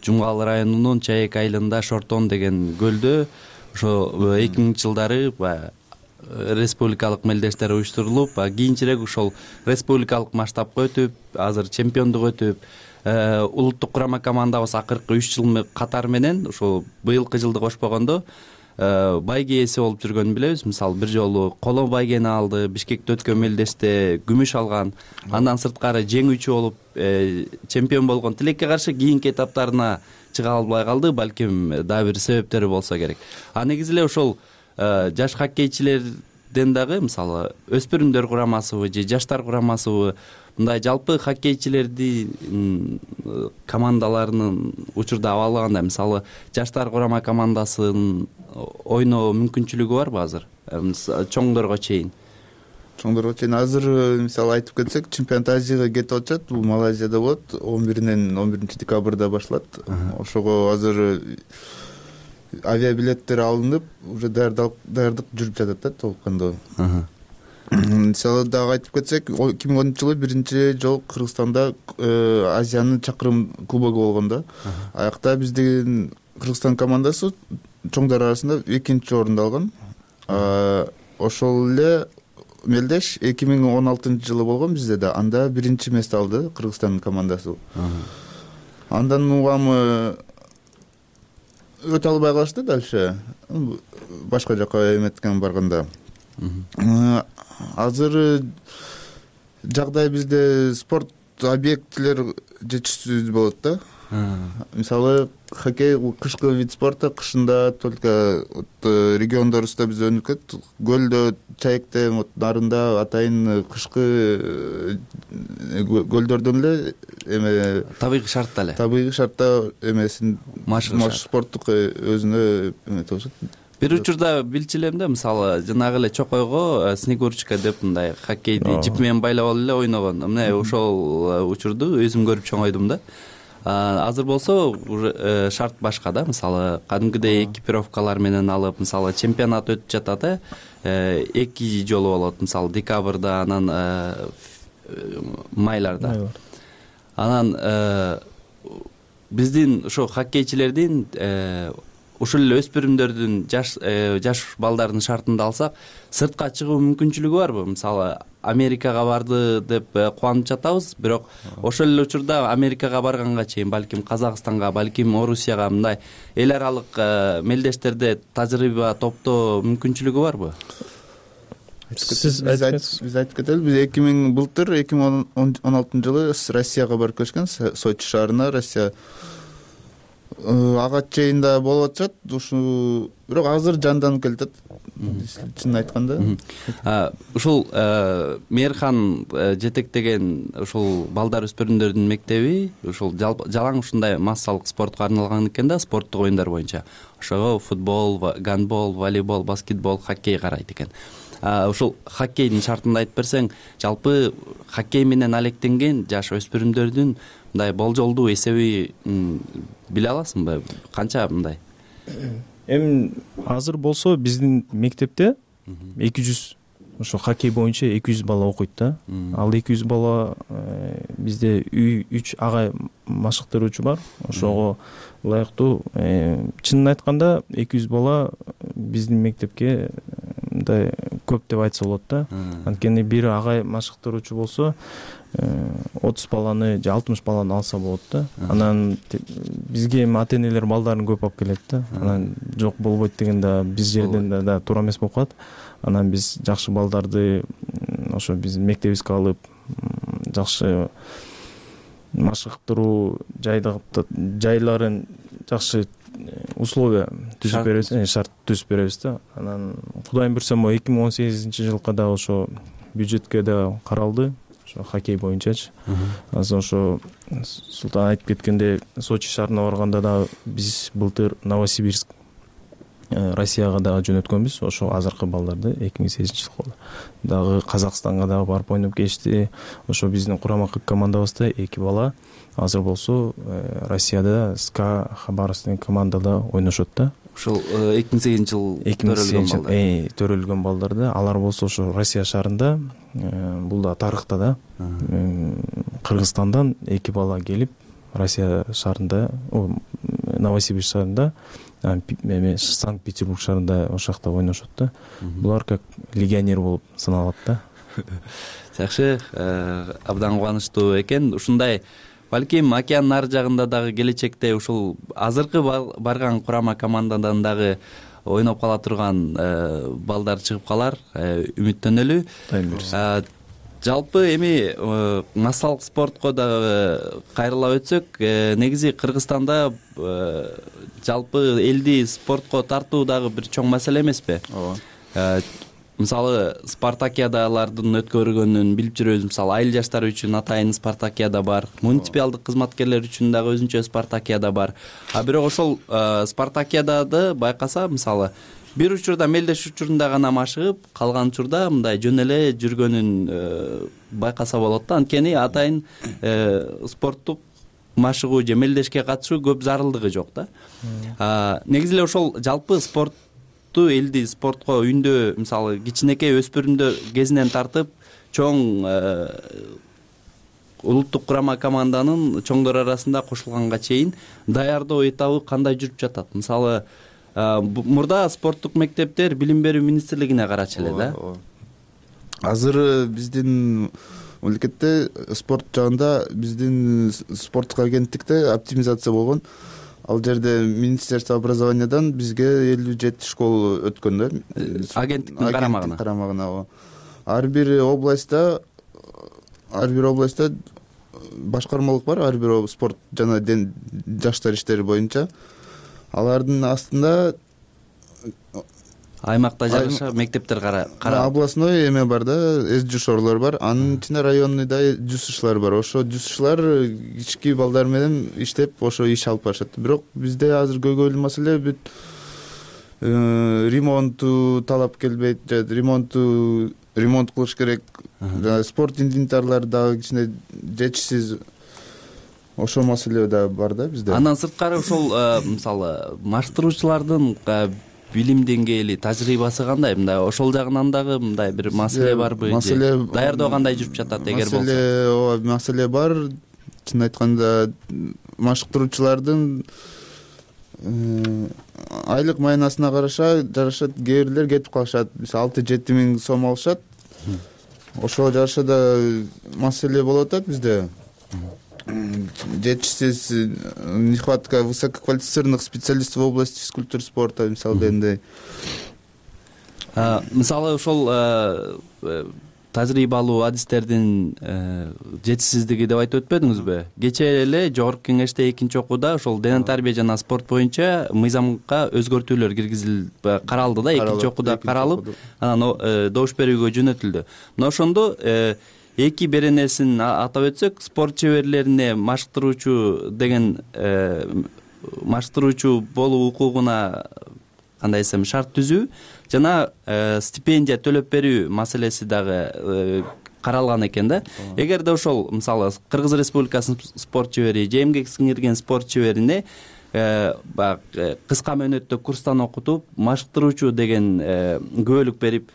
Жумгал районунун Чаек айылында Шортон деген көлдө ошо 2000 жылдары республикалык мелдештер уюштурулуп, кийинчерээк ошол республикалык масштабка өтүп, азыр чемпиондук өтүп, улуттук курама командабыз акыркы 3 жыл катары менен ошол быйылкы жылды кошпогондо байге ээси болуп жүргөнүн билебиз. Мисалы, бир жолу коло байгени алды, Бишкекте өткөн мелдеште күмүш алган, андан сырткары жеңүүчү болуп чемпион болгон. Тилекке каршы кийинки этаптарына чыга албай калды, балким дагы бир себептери болсо керек. Негизи эле ошол жаш хоккейчилерден дагы, мисалы, өспүрүмдөр курамасыбы же жаштар курамасыбы, мындай жалпы хоккейчилерди командаларынын учурда абалы кандай? Мисалы, жаштар курама командасын ойноо мүмкүнчүлүгү барбы азыр? Чоңдорго чейин. Чоңдорго чейин азыр мисалы айтып кетсек, чемпионат Азияга кетип атышат. Бул Малайзияда болот. 11 декабрда башталат. Ошого азыр авиабилеттер алынып, уже даярдык жүрүп жатат да толкундо. Мисалы дагы айтып кетсек, 2010-жылы биринчи жолу Кыргызстанда Азиянын чакырым кубогу болгон да. Аякта биздин Кыргызстан командасы чоңдар арасында 2-чи орунду алган. Ошол эле мелдеш 2016-жылы болгон бизде да. Анда 1-чи мест алды Кыргызстан командасы. Андан угамы өтө албай калышты дальше. Башка жака эметкен барганда. Азыр жагдай бизде спорт объектилер жетишсиз болот да. Мисалы, хоккей кышкы вид спорта, кышында только региондорубузда биз өнүп кеттик. Көлдө, Чаекте, нарында атайын кышкы көлдөрдөн эле табигый шартта эле. Табигый шартта эмесин машык спорттук өзүнө эметишет. Бир учурда билчү элем да, мисалы, жанагы эле чокойго снегурочка деп мындай хоккейди жип менен байлап алып эле ойногон. Мына ошол учурду өзүм көрүп чоңойдум да. Азыр болсо уже шарт башка да, мисалы, кадимкидей экипировкалар менен алып, мисалы, чемпионат өтүп жатат, 2 жолу болот, мисалы, декабрда, анан майларда. Анан биздин ошо хоккейчилердин ушул эле өспүрүмдөрдүн жаш балдардын шартында алсак, сыртка чыгуу мүмкүнчүлүгү барбы? Мисалы, Америкага барды деп кубанып жатабыз, бирок ошол эле учурда Америкага барганга чейин, балким Казакстанга, балким Орусияга мындай эл аралык мелдештерде тажрыйба топтоо мүмкүнчүлүгү барбы? Биз айтып кетели, биз 2016-жылы Россияга барып келишкен, Сочи шаарына. Россия ага чейин да болуп атышат, ушу бирок азыр жанданып келатат. Чынын айтканда. Ушул Мээрхан жетектеген ушул балдар өспүрүмдөрдүн мектеби ушул жалаң ушундай массалык спортко арналган экен да, спорттук оюндар боюнча. Ошого футбол, гандбол, волейбол, баскетбол, хоккей карайт экен. Ушул хоккейдин шартында айтып берсең, жалпы хоккей менен алектенген жаш өспүрүмдөрдүн мындай болжолдуу эсеби биле аласыңбы? Канча мындай? Эми азыр болсо биздин мектепте 200 ошо хоккей боюнча 200 бала окуйт да. Ал 200 бала бизде 3 агай машыктыруучу бар. Ошого ылайыктуу, чынын айтканда 200 бала биздин мектепке мындай көп деп айтса болот да. Анткени бир агай машыктыруучу болсо 30 баланы же 60 баланы алса болот да. Анан бизге эми ата-энелер балдарын көп алып келет да. Анан жок болбойт деген да биз жерден да туура эмес болуп калат. Анан биз жакшы балдарды ошо биздин мектебибизге алып, жакшы машыктыруу жайларын жакшы условия түзүп беребиз, шарт түзүп беребиз да. Анан Кудайым буйрса 2018-жылкы да ошо бюджетке да каралды, ошо хоккей боюнчачы. Азыр ошо Султан айтып кеткендей, Сочи шаарына барганда дагы биз былтыр Новосибирск Россияга дагы жөнөткөнбүз. Ошо азыркы балдарды 2008-жылы дагы Казакстанга дагы барып ойноп келишти. Ошо биздин курама командабызда 2 бала азыр болсо Россияда СКА Хабаровск деген командада ойношот да. Ошол 2008-жыл төрөлгөн балдарды. Алар болсо ошо Россия шаарында, бул да тарыхта да, Кыргызстандан 2 бала келип Россия шаарында, Новосибирск шаарында, Санкт-Петербург шаарында ошол жакта ойношот да. Булар как легионер болуп саналат да. Жакшы, абдан кубанычтуу экен. Ушундай балким океандын ар жагында дагы келечекте ушул азыркы барган курама командадан дагы ойноп кала турган балдар чыгып калар, үмүттөнөлү. Жалпы эми массалык спортко дагы кайрыла өтсөк, негизи Кыргызстанда жалпы элди спортко тартуу дагы бир чоң маселе эмеспи? Ооба. Мисалы спартакиадалардын өткөргөнүн билип жүрөбүз. Мисалы айыл жаштары үчүн атайын спартакиада бар, муниципалдык кызматкерлер үчүн дагы өзүнчө спартакиада бар. А бирок ошол спартакиадады байкаса, мисалы бир учурда мелдеш учурунда гана машыгып, калган учурда мындай жөн эле жүргөнүн байкаса болот да. Анткени атайын спорттук машыгуу же мелдешке катышуу көп зарылдыгы жок да. Негизи эле ошол жалпы элди спортко үндөө, мисалы кичинекей өспүрүмдөр кезинен тартып чоң улуттук курама команданын чоңдор арасында кошулганга чейин даярдоо этабы кандай жүрүп жатат? Мисалы мурда спорттук мектептер билим берүү министрлигине карачу эле да. Азыр биздин мамлекетте спорт жагында биздин спорттук агенттикте оптимизация болгон. Ал жерде Министерство образованиядан бизге 57 школа өткөн да. Агенттиктин карамагына. Ар бир областта башкармалык бар, ар бир спорт жана жаштар иштери боюнча. Алардын астында аймакта жайгашкан мектептер областной эме бар да, СЖШорлор бар. Анын ичинде районный да ЖСШлар бар. Ошо ЖСШлар кички балдар менен иштеп, ошо иш алып барышат. Бирок бизде азыр көйгөйлүү маселе бүт ремонту талап келбейт, ремонт кылыш керек. Спорт инвентарлары дагы кичине жетишсиз. Ошол маселе да бар да бизде. Андан сырткары ошол мисалы маштыруучулардын билим деңгээли, тажрыйбасы кандай? Мындай ошол жагынан дагы мындай бир маселе барбы? Даярдоо кандай жүрүп жатат эгер болсо? Маселе бар. Чын айтканда машыктыруучулардын айлык майнасына жараша кээ бирлер кетип калышат. Мисалы 6-7 миң сом алышат. Ошого жараша да маселе болуп атат бизде. Жетишсиз нехватка высококвалифицированных специалистов в области физкультуры спорта, мисалы дегендей. Мисалы ошол тажрыйбалуу адистердин жетишсиздиги деп айтып өтпөдүңүзбү? Кечээ эле жогорку кеңеште 2-окууда ошол дене тарбия жана спорт боюнча мыйзамга өзгөртүүлөр киргизилип каралды да, 2-окууда каралып, анан добуш берүүгө жөнөтүлдү. Мына ошондо эки беренесин атап өтсөк, спорт чеберлерине машыктыруучу деген машыктыруучу болуу укугуна кандай десем шарт түзүү жана стипендия төлөп берүү маселеси дагы каралган экен да. Эгерде ошол мисалы Кыргыз Республикасынын спорт чебери же эмгек сиңирген спорт чеберине кыска мөөнөттө курстан окутуп машыктыруучу деген күбөлүк берип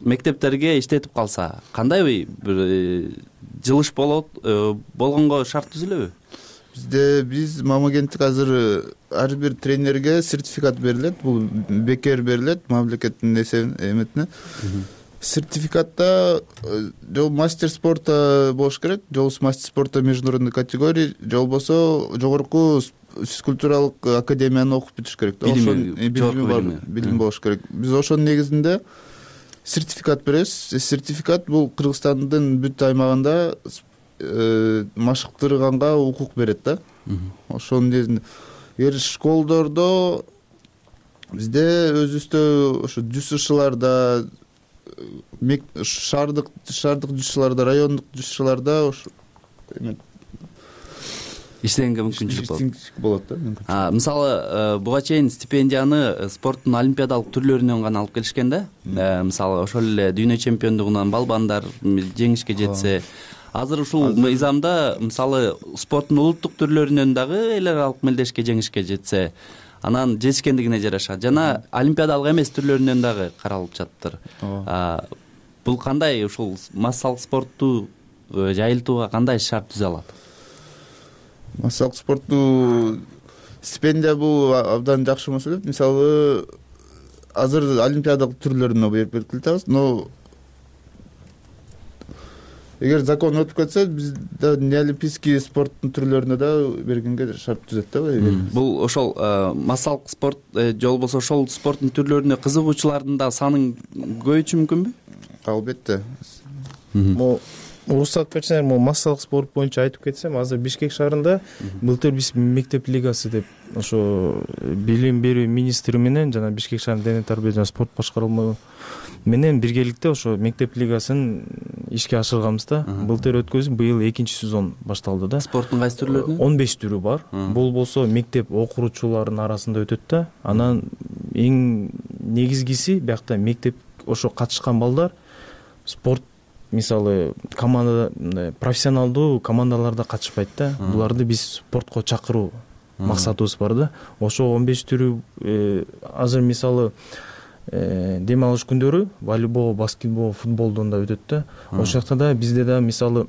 мектептерге иштетип калса, кандай бир жылыш болот, болгонго шарт түзүлөбү? Биз мамагенттик азыр ар бир тренерге сертификат берилет, бул бекер берилет мамлекеттин эметине. Сертификатта жол мастер спорта болуш керек, жол мастер спорта международной категории, же болбосо жогорку физкультуралык академияны окуп бүтүш керек. Билим болуш керек. Биз ошонун негизинде сертификат беребиз. Сертификат бул Кыргызстандын бүт аймагында машыктырганга укук берет да. Ошонун негизинде школдордо бизде өзүбүздө ошо ЖСШларда, шаардык ЖСШларда, райондук ЖСШларда иштегенге мүмкүнчүлүк болот да. Мисалы буга чейин стипендияны спорттун олимпиадалык түрлөрүнөн гана алып келишкен да. Мисалы ошол эле дүйнө чемпиондугунан балбандар жеңишке жетсе, азыр ушул мыйзамда мисалы спорттун улуттук түрлөрүнөн дагы эл аралык мелдешке жеңишке жетсе, анан жетишкендигине жараша жана олимпиадалык эмес түрлөрүнөн дагы каралып жатыптыр. Бул кандай ушул массалык спортту жайылтууга кандай шарт түзө алат? Массалык спортту стипендия бул абдан жакшы маселе. Мисалы азыр олимпиадалык түрлөрүнө берип келатабыз, но эгер закон өтүп кетсе, биз да неолимпийский спорттун түрлөрүнө да бергенге шарт түзөт да. Бул ошол массалык спорт же болбосо ошол спорттун түрлөрүнө кызыгуучулардын да санын көбөйтүшү мүмкүнбү? Албетте. Уруксат берсеңер, могу массалык спорт боюнча айтып кетсем, азыр Бишкек шаарында былтыр биз мектеп лигасы деп ошо билим берүү министри менен жана Бишкек шаарынын дене тарбия жана спорт башкармасы менен биргеликте ошо мектеп лигасын ишке ашырганбыз да. Былтыр өткөзүп, быйыл 2-сезон башталды да. Спорттун кайсы түрлөрүнөн? 15 түрү бар. Бул болсо мектеп окуучуларынын арасында өтөт да. Анан эң негизгиси биякта мектеп ошо катышкан балдар спорт, мисалы команда, профессионалдуу командаларда катышпайт да. Буларды биз спортко чакыруу максатыбыз бар да. Ошо 15 түрү азыр мисалы дем алыш күндөрү волейбол, баскетбол, футболдон да өтөт да. Ошол жакта да бизде да мисалы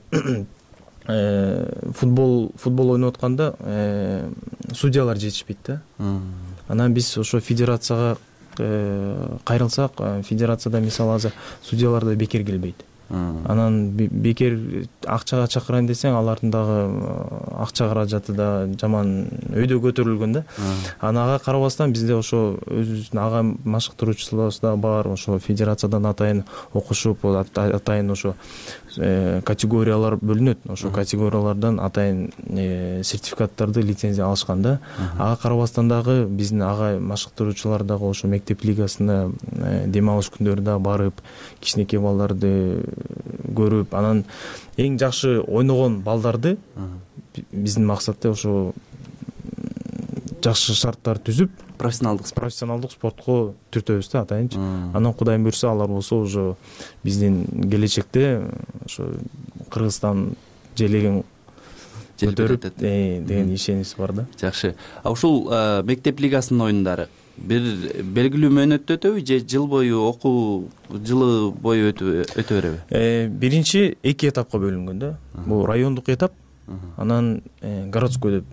футбол ойноп атканда судьялар жетишпейт да. Анан биз ошо федерацияга кайрылсак, федерацияда мисалы азыр судьялар да бекер келбейт. Анан бекер акчага чакырайын десең, алардын дагы акча каражаты да жаман өйдө көтөрүлгөн да. Ага карабастан бизде ошо өзүбүздүн ага машыктыруучуларыбыз да бар. Ошо федерациядан атайын окушуп, атайын ошо категориялар бөлүнөт. Ошо категориялардан атайын сертификаттарды, лицензия алышкан да. Ага карабастан дагы биздин ага машыктыруучулар дагы ошо мектеп лигасына дем алыш күндөрү барып, кичинекей балдарды көрүп, анан эң жакшы ойногон балдарды биздин максатта ошо жакшы шарттар түзүп, профессионалдык спортко түртөбүз да атайынчы. Анан Кудайым буйрса, алар болсо уже биздин келечекте ошо Кыргызстан желегин көтөрүп деген ишенич бар да. Жакшы. Ушул мектеп лигасынын оюндары бир белгилүү мөөнөттө өтөбү же жыл бою окуу жылы бою өтө береби? Биринчи 2 этапка бөлүнгөн да. Бул райондук этап, анан городской деп.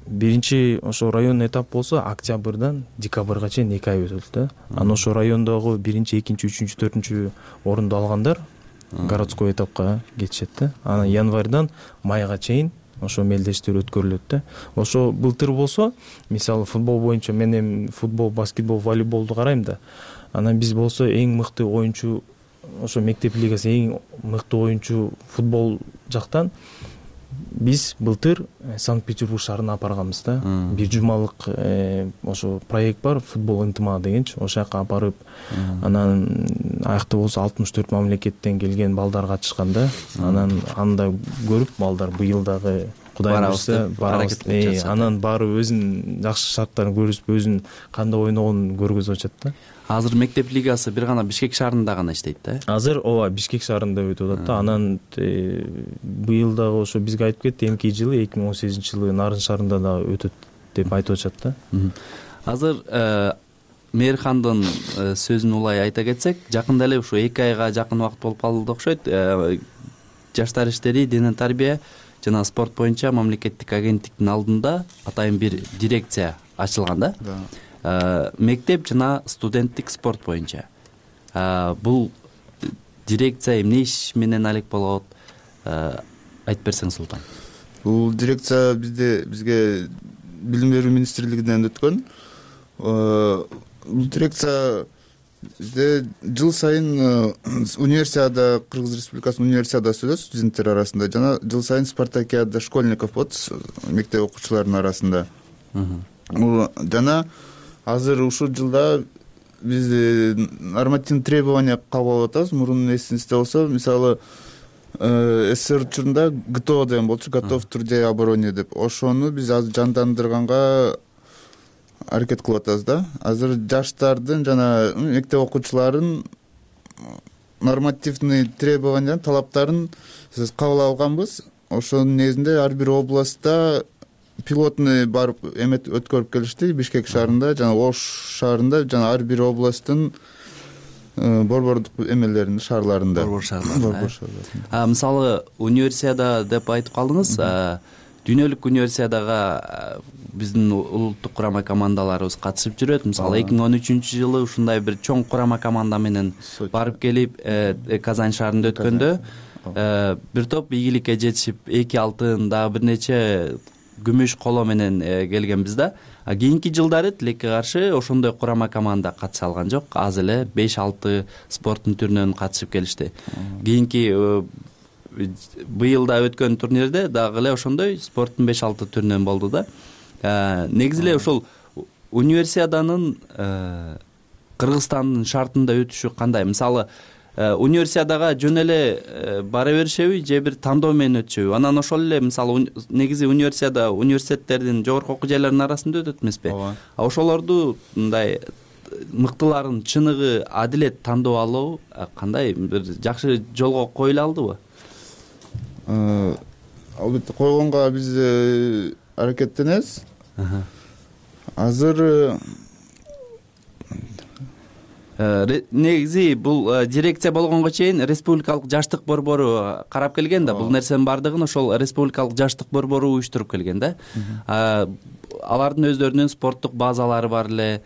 Биринчи ошо район этап болсо октябрдан декабрга чейин 2 ай өтөт да. Анан ошо райондогу 1, 2, 3, 4 орунду алгандар городской этапка кетишет да. Анан январдан майга чейин ошо мелдештер өткөрүлөт да. Ошо былтыр болсо, мисалы футбол боюнча мен эми футбол, баскетбол, волейболду карайм да. Анан биз болсо эң мыкты оюнчу ошо мектеп лигасы эң мыкты оюнчу футбол жактан биз былтыр Санкт-Петербург шаарына апарганбыз да. Бир жумалык ошо проект бар, футбол ынтымагы дегенчи. Ошол жака апарып, анан аякта болсо 64 мамлекеттен келген балдар катышкан да. Анан анда көрүп балдар быйыл дагы Кудайым буйрса барабыз. Анан баары өзүнүн жакшы шарттарын көрүп, өзүнүн кандай ойногонун көргөзүп атат да. Азыр мектеп лигасы бир гана Бишкек шаарында гана иштейт да? Азыр ооба Бишкек шаарында өтүп атат да. Анан быйыл дагы ошо бизге айтып кетти, эмки жылы 2018-жылы Нарын шаарында да өтөт деп айтып атышат да. Азыр Мээрхандын сөзүн улай айта кетсек, жакында эле ушу 2 айга жакын убакыт болуп калды окшойт. Жаштар иштери, дене тарбия жана спорт боюнча мамлекеттик агенттиктин алдында атайын бир дирекция ачылган да. Мектеп жана студенттик спорт боюнча. Бул дирекция эмне иш менен алек болот? Айтып берсең, Султан. Бул дирекция бизге билим берүү министрлигинен өткөн. Бул дирекция бизде жыл сайын универсиада, Кыргыз Республикасынын универсиадасы өтөт студенттер арасында, жана жыл сайын спартакиада школьников болот мектеп окуучуларынын арасында. Жана азыр ушул жылда биз нормативный требования кабыл алып атабыз. Мурун эсиңизде болсо, мисалы СССР учурунда ГТО деген болчу, готов трудяй обороне деп. Ошону биз азыр жандандырганга аракет кылып атабыз да. Азыр жаштардын жана мектеп окуучуларын нормативный требования, талаптарын кабыл алганбыз. Ошонун негизинде ар бир областта пилотный барып өткөрүп келишти. Бишкек шаарында жана Ош шаарында жана ар бир областтын борбордук эмелеринде, шаарларында. Борбор шаарларында. Мисалы, универсиада деп айтып калдыңыз. Дүйнөлүк универсиадага биздин улуттук курама командаларыбыз катышып жүрөт. Мисалы, 2013-жылы ушундай бир чоң курама команда менен барып келип Казань шаарында өткөндө бир топ ийгиликке жетишип 2 алтын, дагы бир нече күмүш коло менен келгенбиз да. Кийинки жылдары тилекке каршы ошондой курама команда катыша алган жок. Аз эле 5-6 спорттун түрүнөн катышып келишти. Кийинки быйыл да өткөн турнирде дагы эле ошондой спорттун 5-6 түрүнөн болду да. Негизи эле ошол универсиаданын Кыргызстандын шартында өтүшү кандай? Мисалы, универсиадага жөн эле бара беришеби же бир тандоо менен өтүшөбү? Анан ошол эле мисалы негизи универсиада университеттердин, жогорку окуу жайларынын арасында өтөт эмеспи? Ошолорду мындай мыктыларын чыныгы адилет тандоо алуу кандай бир жакшы жолго коюла алдыбы? Албетте койгонго биз аракеттенебиз. Азыр негизи бул дирекция болгонго чейин республикалык жаштык борбору карап келген да. Бул нерсенин бардыгын ошол республикалык жаштык борбору уюштуруп келген да. Алардын өздөрүнүн спорттук базалары бар эле.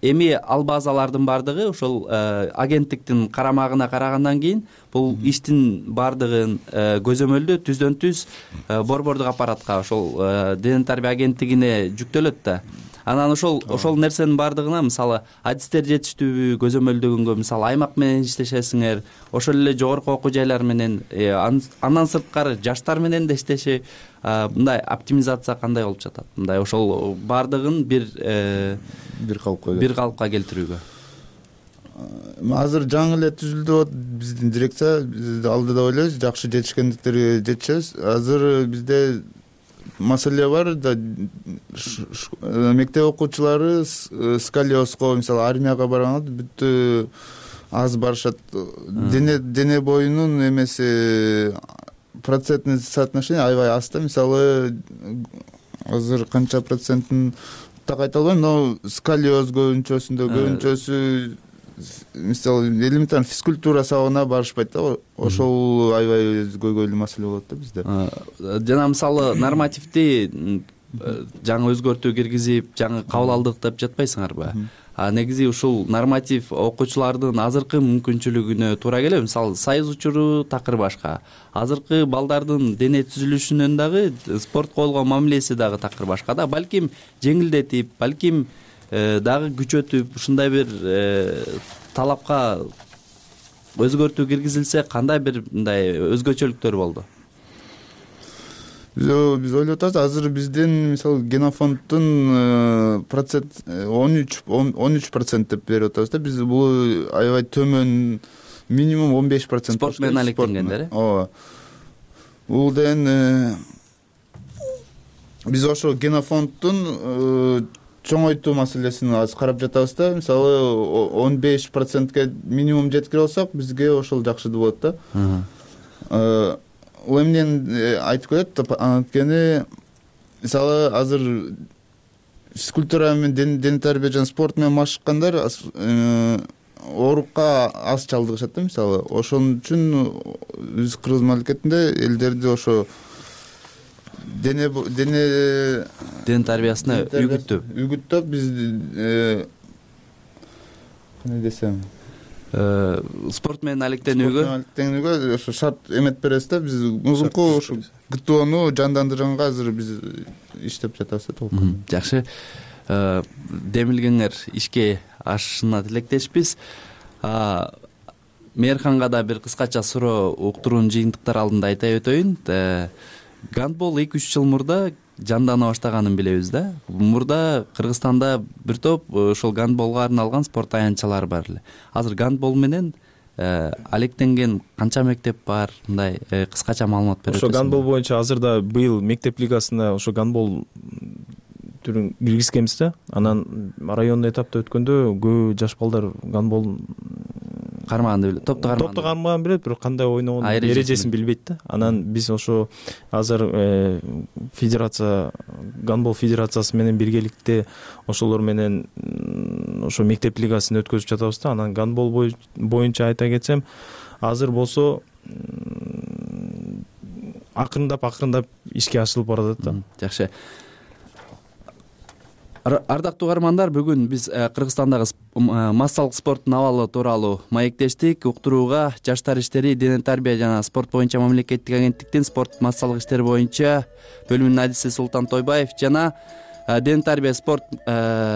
Эми ал базалардын бардыгы ошол агенттиктин карамагына карагандан кийин бул иштин бардыгын көзөмөлдөө түздөн түз борбордук аппаратка, ошол дене тарбия агенттигине жүктөлөт да. Анан ошол нерсенин бардыгына мисалы адистер жетиштүүбү көзөмөлдөгөнгө, мисалы аймак менен иштешесиңер, ошол эле жогорку окуу жайлар менен, андан сырткары жаштар менен да иштеши, мындай оптимизация кандай болуп жатат? Мындай ошол бардыгын бир калыпка келтирүүгө. Азыр жаңы эле түзүлдүп атат биздин дирекция. Биз алдыда ойлойбуз, жакшы жетишкендиктерге жетишебиз. Азыр бизде маселе бар да, мектеп окуучулары сколиозго, мисалы армияга барганда бүттү аз барышат. Дене боюнун эмеси процентный соотношение аябай аз да. Мисалы азыр канча процентин так айта албайм, но сколиоз көбүнчөсү мисалы элементарный физкультура сабагына барышпайт да. Ошол аябай көйгөйлүү маселе болот да бизде. Жана мисалы нормативди жаңы өзгөртүү киргизип, жаңы кабыл алдык деп жатпайсыңарбы? Негизи ушул норматив окуучулардын азыркы мүмкүнчүлүгүнө туура келеби? Мисалы союз учуру такыр башка. Азыркы балдардын дене түзүлүшүнөн дагы спортко болгон мамилеси дагы такыр башка да. Балким жеңилдетип, балким дагы күчөтүп, ушундай бир талапка өзгөртүү киргизилсе, кандай бир мындай өзгөчөлүктөр болду? Биз ойлоп атабыз, азыр биздин мисалы генофонддун процент 13% деп берип атабыз да. Биз бул аябай төмөн, минимум 15%. Спорт менен алектенгендер. Ооба. Бул деген биз ошо генофонддун чоңойтуу маселесин азыр карап жатабыз да. Мисалы 15%ке минимум жеткире алсак, бизге ошол жакшы болот да. Ул эмнени айтып келет? Анткени мисалы азыр физкультура менен дене тарбия жана спорт менен машыккандар оорукка аз чалдыгышат да. Мисалы ошон үчүн биз Кыргыз мамлекетинде элдерди ошо дене тарбиясына үгүттөп биз кандай десем, спорт менен алектенүүгө ошо шарт эмет беребиз да. Биз музунку ошо ГТОну жандандырганга азыр биз иштеп жатабыз да толкун. Жакшы. Демилгеңер ишке ашышына тилектешпиз. Мээрханга да бир кыскача суроо уктуруунун жыйынтыктары алдында айта өтөйүн. Гандбол 2-3 жыл мурда жандана баштаганын билебиз да. Мурда Кыргызстанда бир топ ошол гандболго арналган спорт аянтчалары бар эле. Азыр гандбол менен алектенген канча мектеп бар, мындай кыскача маалымат берип ошо гандбол боюнча азырда быйыл мектеп лигасына ошо гандбол түрүн киргизгенбиз да. Анан райондуу этапта өткөндө көп жаш балдар гандбол кармаганды билет, топту кармаган билет, бирок кандай ойногонун эрежесин билбейт да. Анан биз ошо азыр федерация, гандбол федерациясы менен биргеликте ошолор менен ошо мектеп лигасын өткөзүп жатабыз да. Анан гандбол боюнча айта кетсем, азыр болсо акырындап ишке ашырылып баратат да. Жакшы. Ардактуу угармандар, бүгүн биз Кыргызстандагы массалык спорттун абалы тууралуу маектештик. Уктурууга Жаштар иштери, дене тарбия жана спорт боюнча мамлекеттик агенттиктин спорт массалык иштер боюнча бөлүмүнүн адиси Султан Тойбаев жана дене тарбия спорт